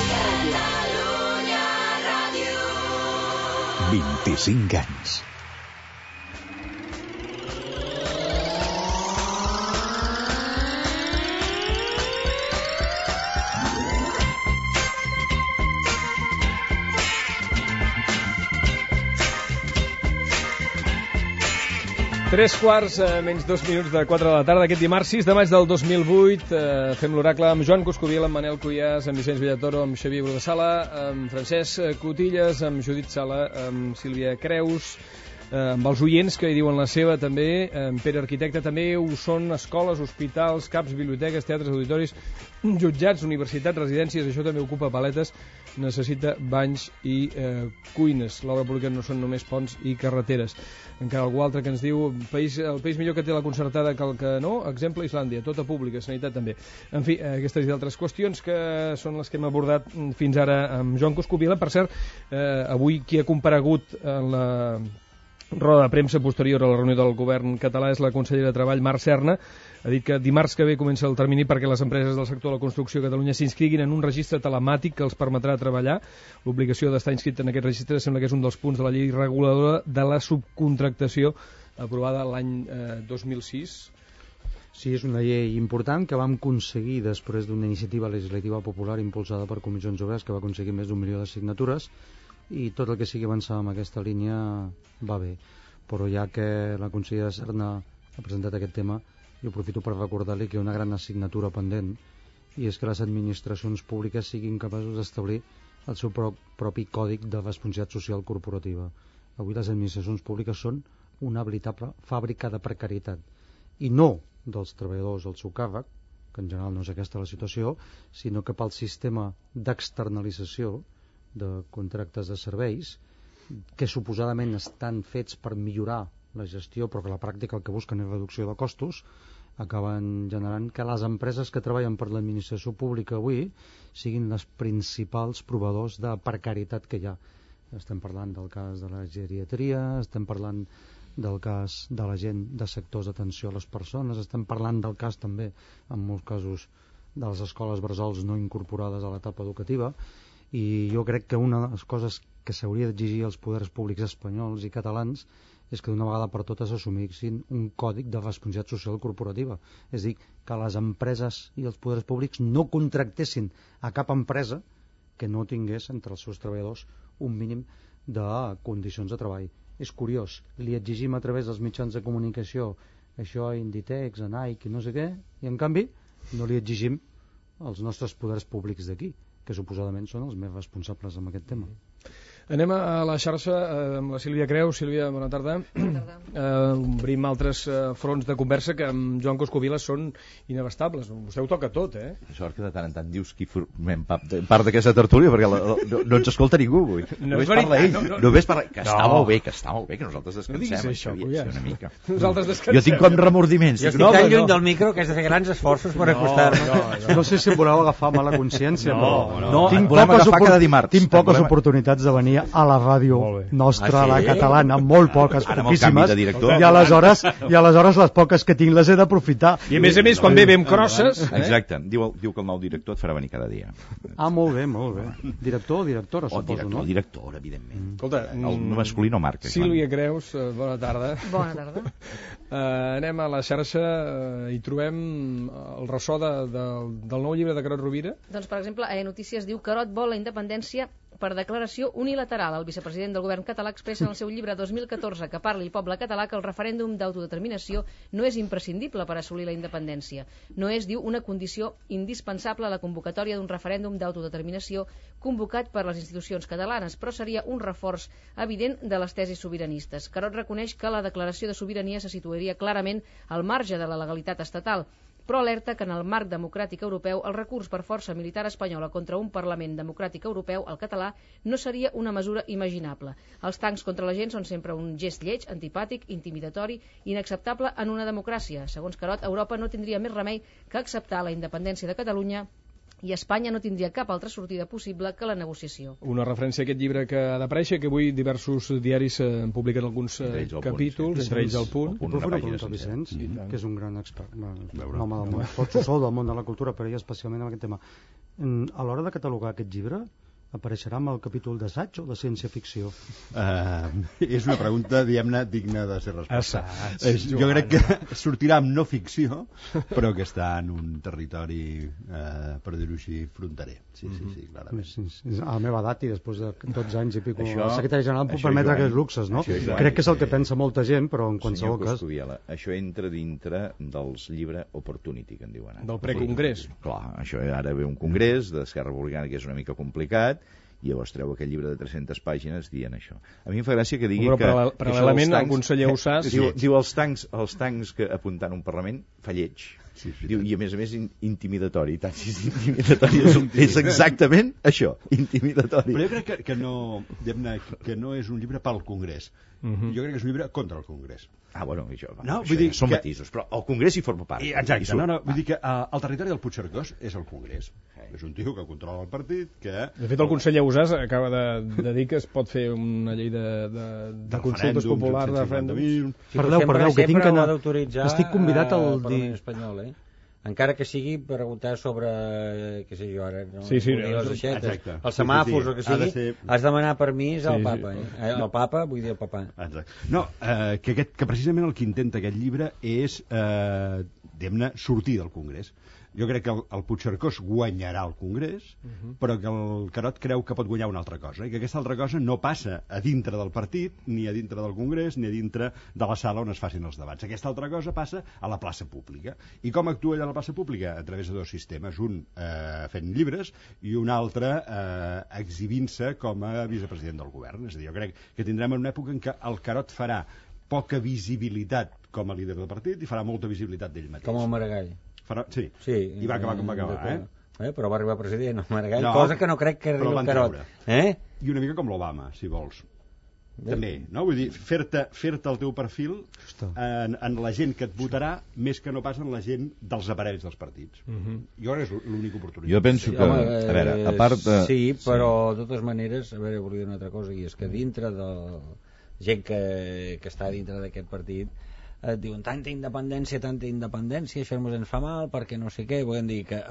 S18: 25 anys.
S1: Tres quarts, menys 2 minuts de 4 de la tarda, aquest dimarts 6 de maig del 2008. Fem l'oracle amb Joan Coscubiela, amb Manel Cuyàs, amb Vicenç Villatoro, amb Xavier Brodessala, amb Francesc Cotillas, amb Judit Sala, amb Sílvia Creus, amb els oients que hi diuen la seva també, amb Pere Arquitecte també. Ho són escoles, hospitals, CAPs, biblioteques, teatres, auditoris, jutjats, universitats, residències, això també ocupa paletes, necessita banys i cuines. L'obra pública no són només ponts i carreteres. Encara algú altre que ens diu el país millor que té la concertada que el que no, exemple Islàndia, tota pública, sanitat també. En fi, aquestes i altres qüestions que són les que hem abordat fins ara amb Joan Coscubiela. Per cert, avui qui ha comparegut en la roda de premsa posterior a la reunió del govern català és la consellera de Treball, Mar Serna. Ha dit que dimarts que ve comença el termini perquè les empreses del sector de la construcció a Catalunya s'inscriguin en un registre telemàtic que els permetrà treballar. L'obligació d'estar inscrit en aquest registre sembla que és un dels punts de la llei reguladora de la subcontractació aprovada l'any 2006.
S2: Sí, és una llei important que vam aconseguir després d'una iniciativa legislativa popular impulsada per Comissions Obreres que va aconseguir més d'1 milió de signatures, i tot el que sigui avançar en aquesta línia va bé. Però ja que la consellera Serna ha presentat aquest tema, jo aprofito per recordar-li que hi ha una gran assignatura pendent, i és que les administracions públiques siguin capaços d'establir el seu propi còdic de responsabilitat social corporativa. Avui les administracions públiques són una veritable fàbrica de precarietat, i no dels treballadors al seu càrrec, que en general no és aquesta la situació, sinó que pel sistema d'externalització de contractes de serveis que suposadament estan fets per millorar la gestió, però que a la pràctica el que busquen és reducció de costos, acaben generant que les empreses que treballen per l'administració pública avui siguin les principals proveïdors de precarietat que hi ha. Estem parlant del cas de la geriatria, estem parlant del cas de la gent de sectors d'atenció a les persones, estem parlant del cas també, en molts casos, de les escoles bressols no incorporades a l'etapa educativa. I jo crec que una de les coses que s'hauria d'exigir als poders públics espanyols i catalans és que d'una vegada per totes assumissin un còdic de responsabilitat social corporativa. És a dir, que les empreses i els poders públics no contractessin a cap empresa que no tingués entre els seus treballadors un mínim de condicions de treball. És curiós, li exigim a través dels mitjans de comunicació això a Inditex, a Nike i no sé què, i en canvi no li exigim als nostres poders públics d'aquí, que suposadament són els més responsables amb aquest tema.
S1: Anem a la xarxa amb la Sílvia Creus. Sílvia, bona tarda. Bona tarda. Obrim altres fronts de conversa que amb Joan Coscubiela són inabastables. Vostè ho toca tot, eh?
S3: Sort que de tant en tant dius qui formem part d'aquesta tertúlia, perquè no ens escolta ningú avui. Només parla ell. Només parla... Que està molt bé, que nosaltres descansem.
S1: Això,
S3: una mica.
S1: Nosaltres descansem.
S3: Jo tinc com remordiments.
S5: Jo estic tan lluny del micro que has de fer grans esforços per acostar-me.
S2: No sé si em voleu agafar mala consciència,
S3: no.
S2: Tinc poques oportunitats de venir a la ràdio nostra, la catalana, molt poques, poquíssimes, i aleshores les poques que tinc les he d'aprofitar.
S1: I a més, quan bevem crosses...
S3: Exacte, diu que el nou director et farà venir cada dia.
S2: Molt bé. Director o directora, suposo, no?
S3: Director, evidentment.
S1: Escolta,
S3: el masculí no marca.
S1: Sílvia Creus, bona tarda.
S20: Bona tarda.
S1: Anem a la xarxa i trobem el ressò del nou llibre de Carod Rovira.
S20: Doncs, per exemple, Notícies diu Carod vol la independència per declaració unilateral. El vicepresident del govern català expressa en el seu llibre 2014 que parli el poble català que el referèndum d'autodeterminació no és imprescindible per assolir la independència. No és, diu, una condició indispensable a la convocatòria d'un referèndum d'autodeterminació convocat per les institucions catalanes, però seria un reforç evident de les tesis sobiranistes. Carod reconeix que la declaració de sobirania se situaria clarament al marge de la legalitat estatal, però alerta que en el marc democràtic europeu el recurs per força militar espanyola contra un Parlament democràtic europeu, el català, no seria una mesura imaginable. Els tancs contra la gent són sempre un gest lleig, antipàtic, intimidatori, inacceptable en una democràcia. Segons Carod, Europa no tindria més remei que acceptar la independència de Catalunya i Espanya no tindria cap altra sortida possible que la negociació.
S1: Una referència a aquest llibre que ha d'aparèixer, que avui diversos diaris han publicat alguns capítols, entre ells El Punt.
S2: Puc fer una pregunta, Vicenç, que és un gran expert, un home del món, tots ho sou del món de la cultura, però ell especialment en aquest tema. A l'hora de catalogar aquest llibre, apareixerà amb el capítol d'assaig o de ciència-ficció?
S4: És una pregunta, diguem-ne, digna de ser resposta. Jo crec que sortirà amb no ficció, però que està en un territori, per dir-ho així, fronterer. Sí, clarament.
S2: A la meva edat i després de 12 anys i pico, el secretari general puc permetre aquests luxes, no? Crec que és el que pensa molta gent, però en qualsevol cas...
S3: Senyor Coscubiela, això entra dintre dels llibre Opportunity, que en diuen.
S1: Del precongrés.
S3: Clar, això ara ve un congrés d'Esquerra Republicana que és una mica complicat, i llavors treu aquell llibre de 300 pàgines dient això. A mi em fa gràcia que digui que...
S1: Paral·lelament, el conseller Usàs...
S3: Diu els tancs que apuntant un Parlament fa lleig. Diu, i a més intimidatori. És exactament això, intimidatori.
S4: Però jo crec que no és un llibre pel Congrés. Jo crec que és un llibre contra el Congrés.
S3: Bueno, això són matisos, però el Congrés hi forma part.
S4: Exacte, vull dir que el territori del Puigcercós és el Congrés. És un tio que controla el partit, que...
S1: De fet, el conseller Usàs acaba de dir que es pot fer una llei de consultes populars, de referèndums.
S2: Perdeu, que tinc que anar... Estic convidat al
S5: Parlament espanyol, encara que sigui per preguntar sobre, què sé jo ara,
S1: les
S5: aixetes, els semàfors o que sigui, has de demanar permís al papa, el papa, vull dir el papà.
S4: No, que precisament el que intenta aquest llibre és, diguem-ne, sortir del Congrés. Jo crec que el Puigcercós guanyarà el Congrés, però que el Carod creu que pot guanyar una altra cosa, i que aquesta altra cosa no passa a dintre del partit, ni a dintre del Congrés, ni a dintre de la sala on es facin els debats. Aquesta altra cosa passa a la plaça pública. I com actua allà a la plaça pública? A través de dos sistemes, un fent llibres i un altre exhibint-se com a vicepresident del govern. És a dir, jo crec que tindrem una època en què el Carod farà poca visibilitat com a líder del partit i farà molta visibilitat d'ell mateix.
S5: Com el Maragall.
S4: Sí, i va acabar com va acabar,
S5: però va arribar president el Maragall, cosa que no crec que arribi el Carod.
S4: I una mica com l'Obama, si vols. També, no? Vull dir, fer-te el teu perfil en la gent que et votarà més que no pas en la gent dels aparells dels partits. Jo crec que és l'única oportunitat.
S3: Jo penso que, a veure, a part de...
S5: Sí, però de totes maneres, a veure, volia dir una altra cosa, i és que dintre de gent que està dintre d'aquest partit et diuen tanta independència, això ens fa mal perquè no sé què, volem dir que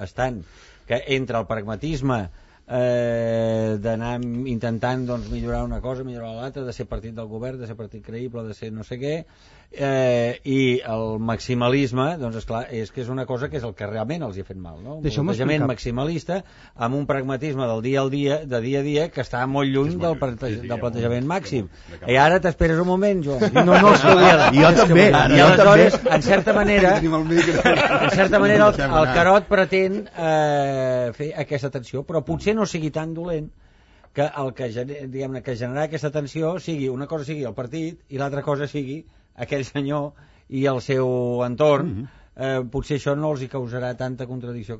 S5: entre el pragmatisme d'anar intentant millorar una cosa, millorar l'altra, de ser partit del govern, de ser partit creïble, de ser no sé què, i el maximalisme, doncs esclar, és que és una cosa que és el que realment els hi ha fet mal, no? Un plantejament maximalista amb un pragmatisme del dia a dia que està molt lluny del plantejament màxim. I ara t'esperes un moment, Joan.
S3: Jo també.
S5: I aleshores, en certa manera el Carod pretén fer aquesta tensió, però potser no sigui tan dolent que el que, diguem-ne, que generarà aquesta tensió sigui una cosa sigui el partit i l'altra cosa sigui aquell senyor i el seu entorn. Potser això no els hi causarà tanta contradicció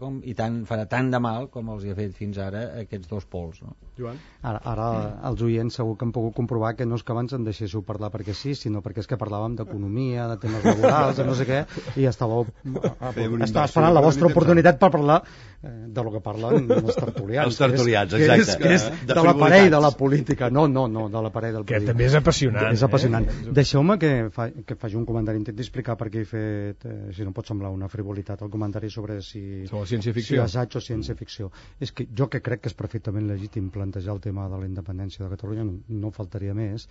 S5: farà tant de mal com els hi ha fet fins ara aquests dos pols, no?
S2: Joan? Ara els oients segur que han pogut comprovar que no és que abans em deixéssiu parlar perquè sí, sinó perquè és que parlàvem d'economia, de temes laborals, de no sé què, i estava esperant la vostra oportunitat per parlar de lo que parlen els tertulians.
S3: Els tertulians, exacte.
S2: Que és de l'aparell de la política. No, de l'aparell del polític.
S1: Que també és apassionant.
S2: És apassionant. Deixeu-me que faci un comentari, intenti explicar per què he fet, si no pot semblar una frivolitat, el comentari sobre si
S1: ciència-ficció,
S2: si assaig o ciència-ficció. És que jo que crec que és perfectament legítim plantejar el tema de la independència de Catalunya, no faltaria més,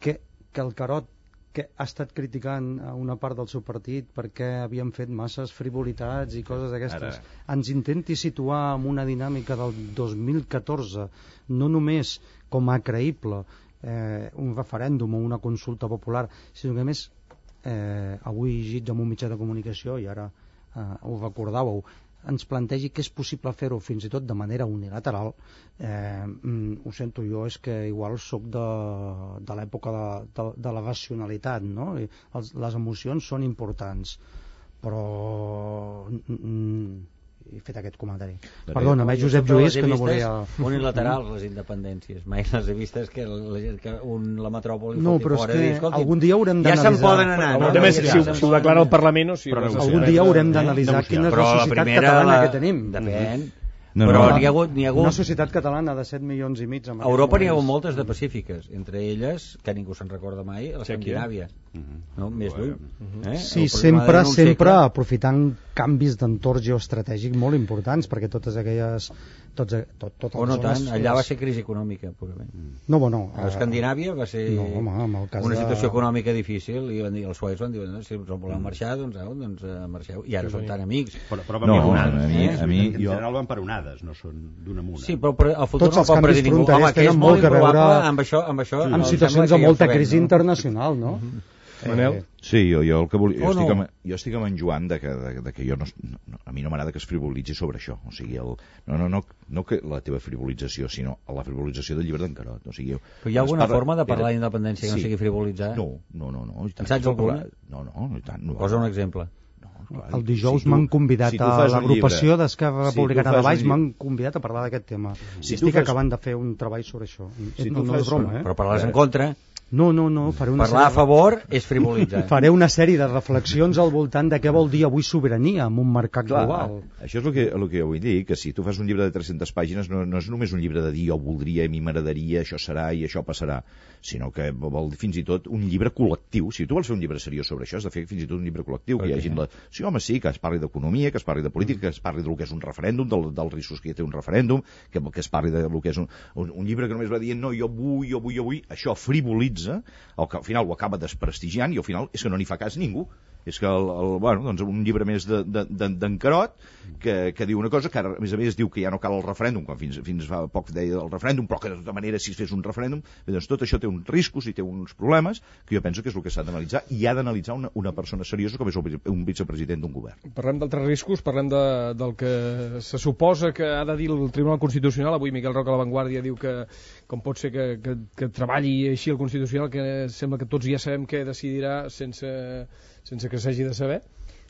S2: que el Carod, que ha estat criticant a una part del seu partit perquè havien fet masses frivolitats i coses d'aquestes, ens intenti situar en una dinàmica del 2014, no només com a creïble un referèndum o una consulta popular, sinó que a més avui llegit en un mitjà de comunicació, i ara ho recordàveu, ens plantegi que és possible fer-ho fins i tot de manera unilateral. Ho sento, jo és que igual soc de l'època de la racionalitat, no? Les emocions són importants, però he fet aquest comentari. Perdona, Josep Lluís, que no volia...
S5: Unilaterals, les independències. Mai les he vistes que la metròpoli
S2: no, però és que algun dia haurem
S5: Ja
S2: d'analitzar...
S5: se'n poden anar.
S1: Si ho declara el Parlament o si...
S2: Algun dia haurem d'analitzar quina és la societat catalana que tenim.
S5: Depèn.
S2: No,
S5: però n'hi ha hagut
S2: una societat catalana de 7 milions i mig.
S5: A Europa n'hi ha hagut moltes de pacífiques, entre elles, que ningú se'n recorda mai, l'Escandinàvia. No? Més lluny.
S2: Sí, sempre aprofitant canvis d'entorn geoestratègic molt importants, perquè totes aquelles...
S5: O no tant, allà va ser crisi econòmica, purament.
S2: No, bueno...
S5: A Escandinàvia va ser una situació econòmica difícil, i els suecs van dir, si us voleu marxar, doncs marxeu. I ara són tan amics.
S4: Però van per onades. En general van per onades, no són d'una muna.
S5: Sí, però el futur no pot predir ningú. Home, que és molt improbable amb això...
S2: Amb situacions de molta crisi internacional, no?
S1: Manel?
S3: Sí, jo el que volia... Jo estic amb en Joan de que jo a mi no m'agrada que es frivolitzi sobre això. O sigui, no que la teva frivolització, sinó la frivolització del llibre d'en Carod. O sigui,
S5: però hi ha alguna forma de parlar d'independència que no sigui frivolitzar?
S3: No.
S5: En saps alguna?
S3: No, i tant.
S5: Posa un exemple.
S2: El dijous m'han convidat a l'agrupació d'Esquerra Republicana de Valls, m'han convidat a parlar d'aquest tema. Estic acabant de fer un treball sobre això. No és broma,
S5: però parlaràs en contra?
S2: No, faré una
S5: parlar a favor és frivolitzar.
S2: Faré una sèrie de reflexions al voltant de què vol dir avui sobirania en un mercat global.
S3: Això és el que jo vull dir, que si tu fas un llibre de 300 pàgines no és només un llibre de dir jo voldria, a mi m'agradaria, això serà i això passarà, sinó que vol dir fins i tot un llibre col·lectiu. Si tu vols fer un llibre seriós sobre això, has de fer fins i tot un llibre col·lectiu, que hi hagi sí, home, sí, que es parli d'economia, que es parli de política, que es parli del que és un referèndum, dels riscos que té un referèndum, que es parli del que és un llibre que només va dient no, jo vull, això frivolitza, al final ho acaba desprestigiant i al final és que no n'hi fa cas ningú. És que doncs un llibre més d'en Carod que diu una cosa que ara, a més diu que ja no cal el referèndum, quan fins fa poc deia el referèndum, però que de tota manera si es fes un referèndum, doncs tot això té uns riscos i té uns problemes que jo penso que és el que s'ha d'analitzar i ha d'analitzar una persona seriosa com és un vicepresident d'un govern.
S1: Parlem d'altres riscos, parlem del que se suposa que ha de dir el Tribunal Constitucional. Avui Miquel Roca a La Vanguardia diu que com pot ser que treballi així el Constitucional, que sembla que tots ja sabem què decidirà sense que s'hagi de saber.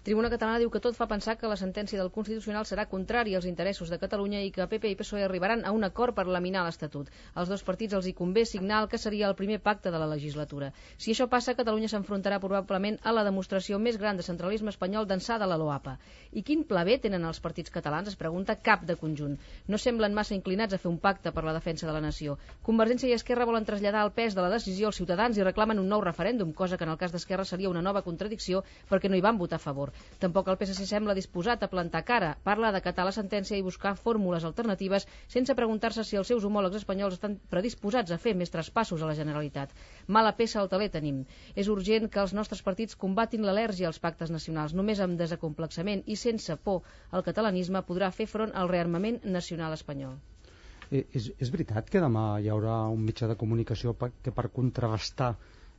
S20: Tribuna Catalana diu que tot fa pensar que la sentència del Constitucional serà contrària als interessos de Catalunya i que PP i PSOE arribaran a un acord per laminar l'Estatut. Als dos partits els hi convé signar el que seria el primer pacte de la legislatura. Si això passa, Catalunya s'enfrontarà probablement a la demostració més gran de centralisme espanyol d'ençà de la LOAPA. I quin pla B tenen els partits catalans? Es pregunta cap de conjunt. No semblen massa inclinats a fer un pacte per la defensa de la nació. Convergència i Esquerra volen traslladar el pes de la decisió als ciutadans i reclamen un nou referèndum, cosa que en el cas d'Esquerra seria una nova contradicció perquè no hi van votar a favor. Tampoc el PSC sembla disposat a plantar cara. Parla d'acatar la sentència i buscar fórmules alternatives sense preguntar-se si els seus homòlegs espanyols estan predisposats a fer més traspassos a la Generalitat. Mala peça al taler tenim. És urgent que els nostres partits combatin l'al·lèrgia als pactes nacionals. Només amb desacomplexament i sense por el catalanisme podrà fer front al rearmament nacional espanyol.
S2: És veritat que demà hi haurà un mitjà de comunicació que per contrarrestar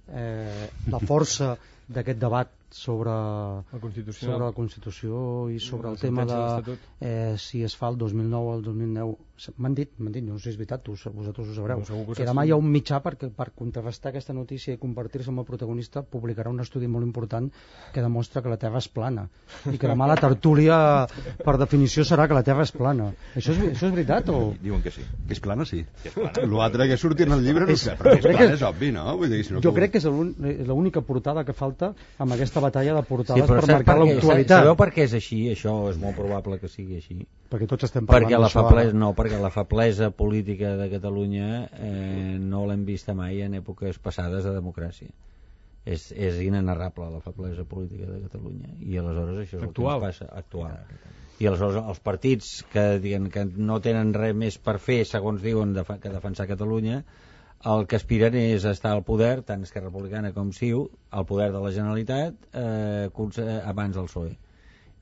S2: la força d'aquest debat sobre la Constitució i sobre el tema de si es fa el 2009 o el 2009. M'han dit, no sé si és veritat, vosaltres ho sabreu, que demà hi ha un mitjà per contrarrestar aquesta notícia i convertir-se en el protagonista, publicarà un estudi molt important que demostra que la Terra és plana i que demà la tertúlia per definició serà que la Terra és plana. Això és veritat o...?
S3: Diuen que sí.
S4: Que és plana, sí. L'altre que surti en el llibre no sé, però que és plana és obvi, no?
S2: Jo crec que és l'única portada que falta amb aquesta batalla de portades per marcar l'actualitat.
S5: Sabeu per què és així? Això és molt probable que sigui així.
S2: Perquè tots estem parlant d'això.
S5: Perquè la feblesa política de Catalunya no l'hem vista mai en èpoques passades de democràcia. És inenarrable la feblesa política de Catalunya. I aleshores això és el que ens passa actual. I aleshores els partits que no tenen res més per fer, segons diuen, que defensar Catalunya, el que aspiren és estar al poder, tant Esquerra Republicana com CiU, al poder de la Generalitat abans del PSOE.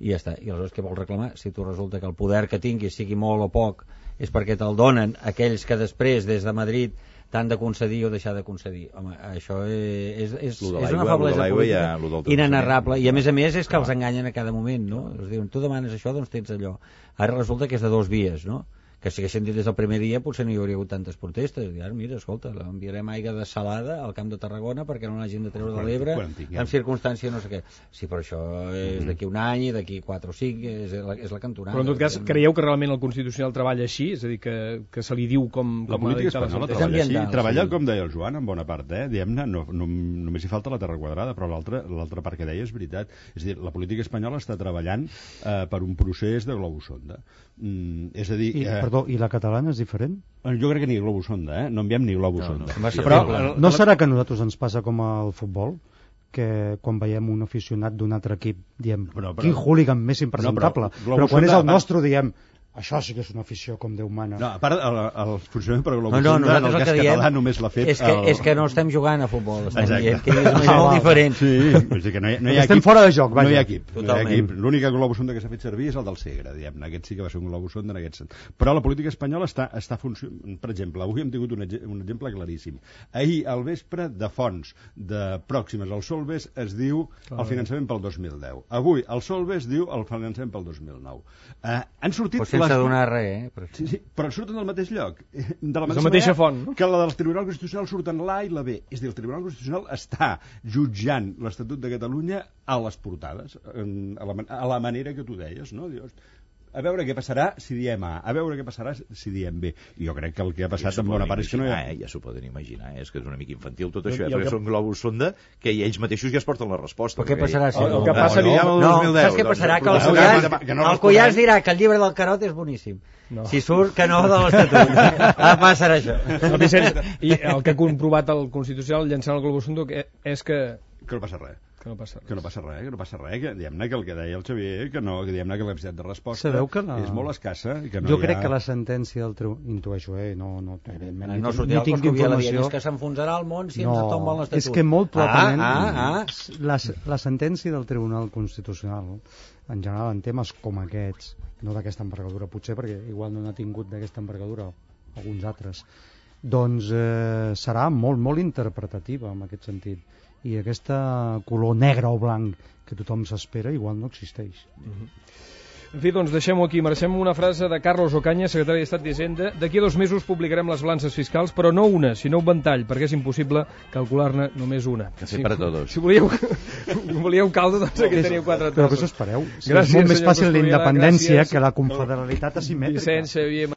S5: I ja està. I aleshores què vols reclamar? Si tu resulta que el poder que tinguis, sigui molt o poc, és perquè te'l donen aquells que després des de Madrid t'han de concedir o deixar de concedir. Home, això és una feblesa política inenarrable. I a més és que els enganyen a cada moment, no? Els diuen, tu demanes això, doncs tens allò. Ara resulta que és de 2 vies, no? Que si haguessin dit des del primer dia potser no hi hauria hagut tantes protestes. I ara, mira, escolta, enviarem aigua desalada al Camp de Tarragona perquè no l'hagin de treure de l'Ebre en circumstància no sé què. Sí, però això és d'aquí un any i d'aquí 4 o 5 és la cantonada.
S1: Però en tot cas, creieu que realment el Constitucional treballa així? És a dir, que se li diu com
S4: la política espanyola treballa així. Treballa, com deia el Joan, en bona part, diguem-ne, només hi falta la terra quadrada, però l'altra part que deia és veritat. És a dir, la política espanyola està treballant per un procés de globus-sonda. És a dir...
S2: I la catalana és diferent?
S4: Jo crec que ni globus-sonda, no enviem ni globus-sonda.
S2: Però no serà que a nosaltres ens passa com al futbol? Que quan veiem un aficionat d'un altre equip diem, quin hooligan més impresentable, però quan és el nostre diem, això sí que és una afició com Déu mana.
S4: No, a part, el funcionament per globus-sonda en el cas català només l'ha fet...
S5: És que no estem jugant a futbol, estem dient que és molt diferent.
S4: Sí, és dir que no hi ha
S2: estem fora de joc, vaja.
S4: No hi ha equip. L'única globus-sonda que s'ha fet servir és el del Segre, diguem-ne. Aquest sí que va ser un globus-sonda en aquest sentit. Però la política espanyola està funcionant. Per exemple, avui hem tingut un exemple claríssim. Ahir, al vespre, de fonts de pròximes al Solbes es diu el finançament pel 2010. Avui, el Solbes diu el finançament pel 2009. Han sortit...
S5: Sense donar res,
S4: Sí, però surten del mateix lloc. De la
S1: mateixa font, no?
S4: Que la del Tribunal Constitucional surten l'A i la B. És a dir, el Tribunal Constitucional està jutjant l'Estatut de Catalunya a les portades, a la manera que tu deies, no? Dius, a veure què passarà si diem A, a veure què passarà si diem B. I jo crec que el que ha passat en bona part és que no hi ha...
S3: Ja s'ho poden imaginar, és que és una mica infantil tot això, perquè són globus-sonda que ells mateixos ja es porten la resposta.
S5: Però què passarà si...
S1: El que passa
S5: el 2010... Saps què passarà? Que el Cuyàs dirà que el llibre del Carot és boníssim. Si surt que no de l'Estatut. Passarà això.
S1: I el que ha comprovat el Constitucional llançant el globus-sonda és que
S4: no passa res.
S1: Que no passa res.
S4: Que diguem-ne que el que deia el Xavier, que diguem-ne que la capacitat de resposta és molt escassa.
S2: Jo crec que la sentència del Tribunal... Intueixo, no
S5: tinc informació. És que s'enfonsarà el món si ens tomben l'Estatut.
S2: És que molt probablement la sentència del Tribunal Constitucional, en general en temes com aquests, no d'aquesta envergadura, potser perquè igual no n'ha tingut d'aquesta envergadura alguns altres, doncs serà molt, molt interpretativa en aquest sentit. I aquesta color negre o blanc que tothom s'espera igual no existeix.
S1: En fi, doncs deixem-ho aquí. Mereixem una frase de Carlos Ocaña, secretari d'Estat d'Hisenda. D'aquí a 2 mesos publicarem les balances fiscals, però no una, sinó un ventall, perquè és impossible calcular-ne només una.
S3: Café para todos.
S1: Si volíeu caldo, doncs aquí teniu 4 tasses.
S2: Però què us espereu? És molt més fàcil la independència que la confederalitat asimètrica.
S1: Vicent, Xavier...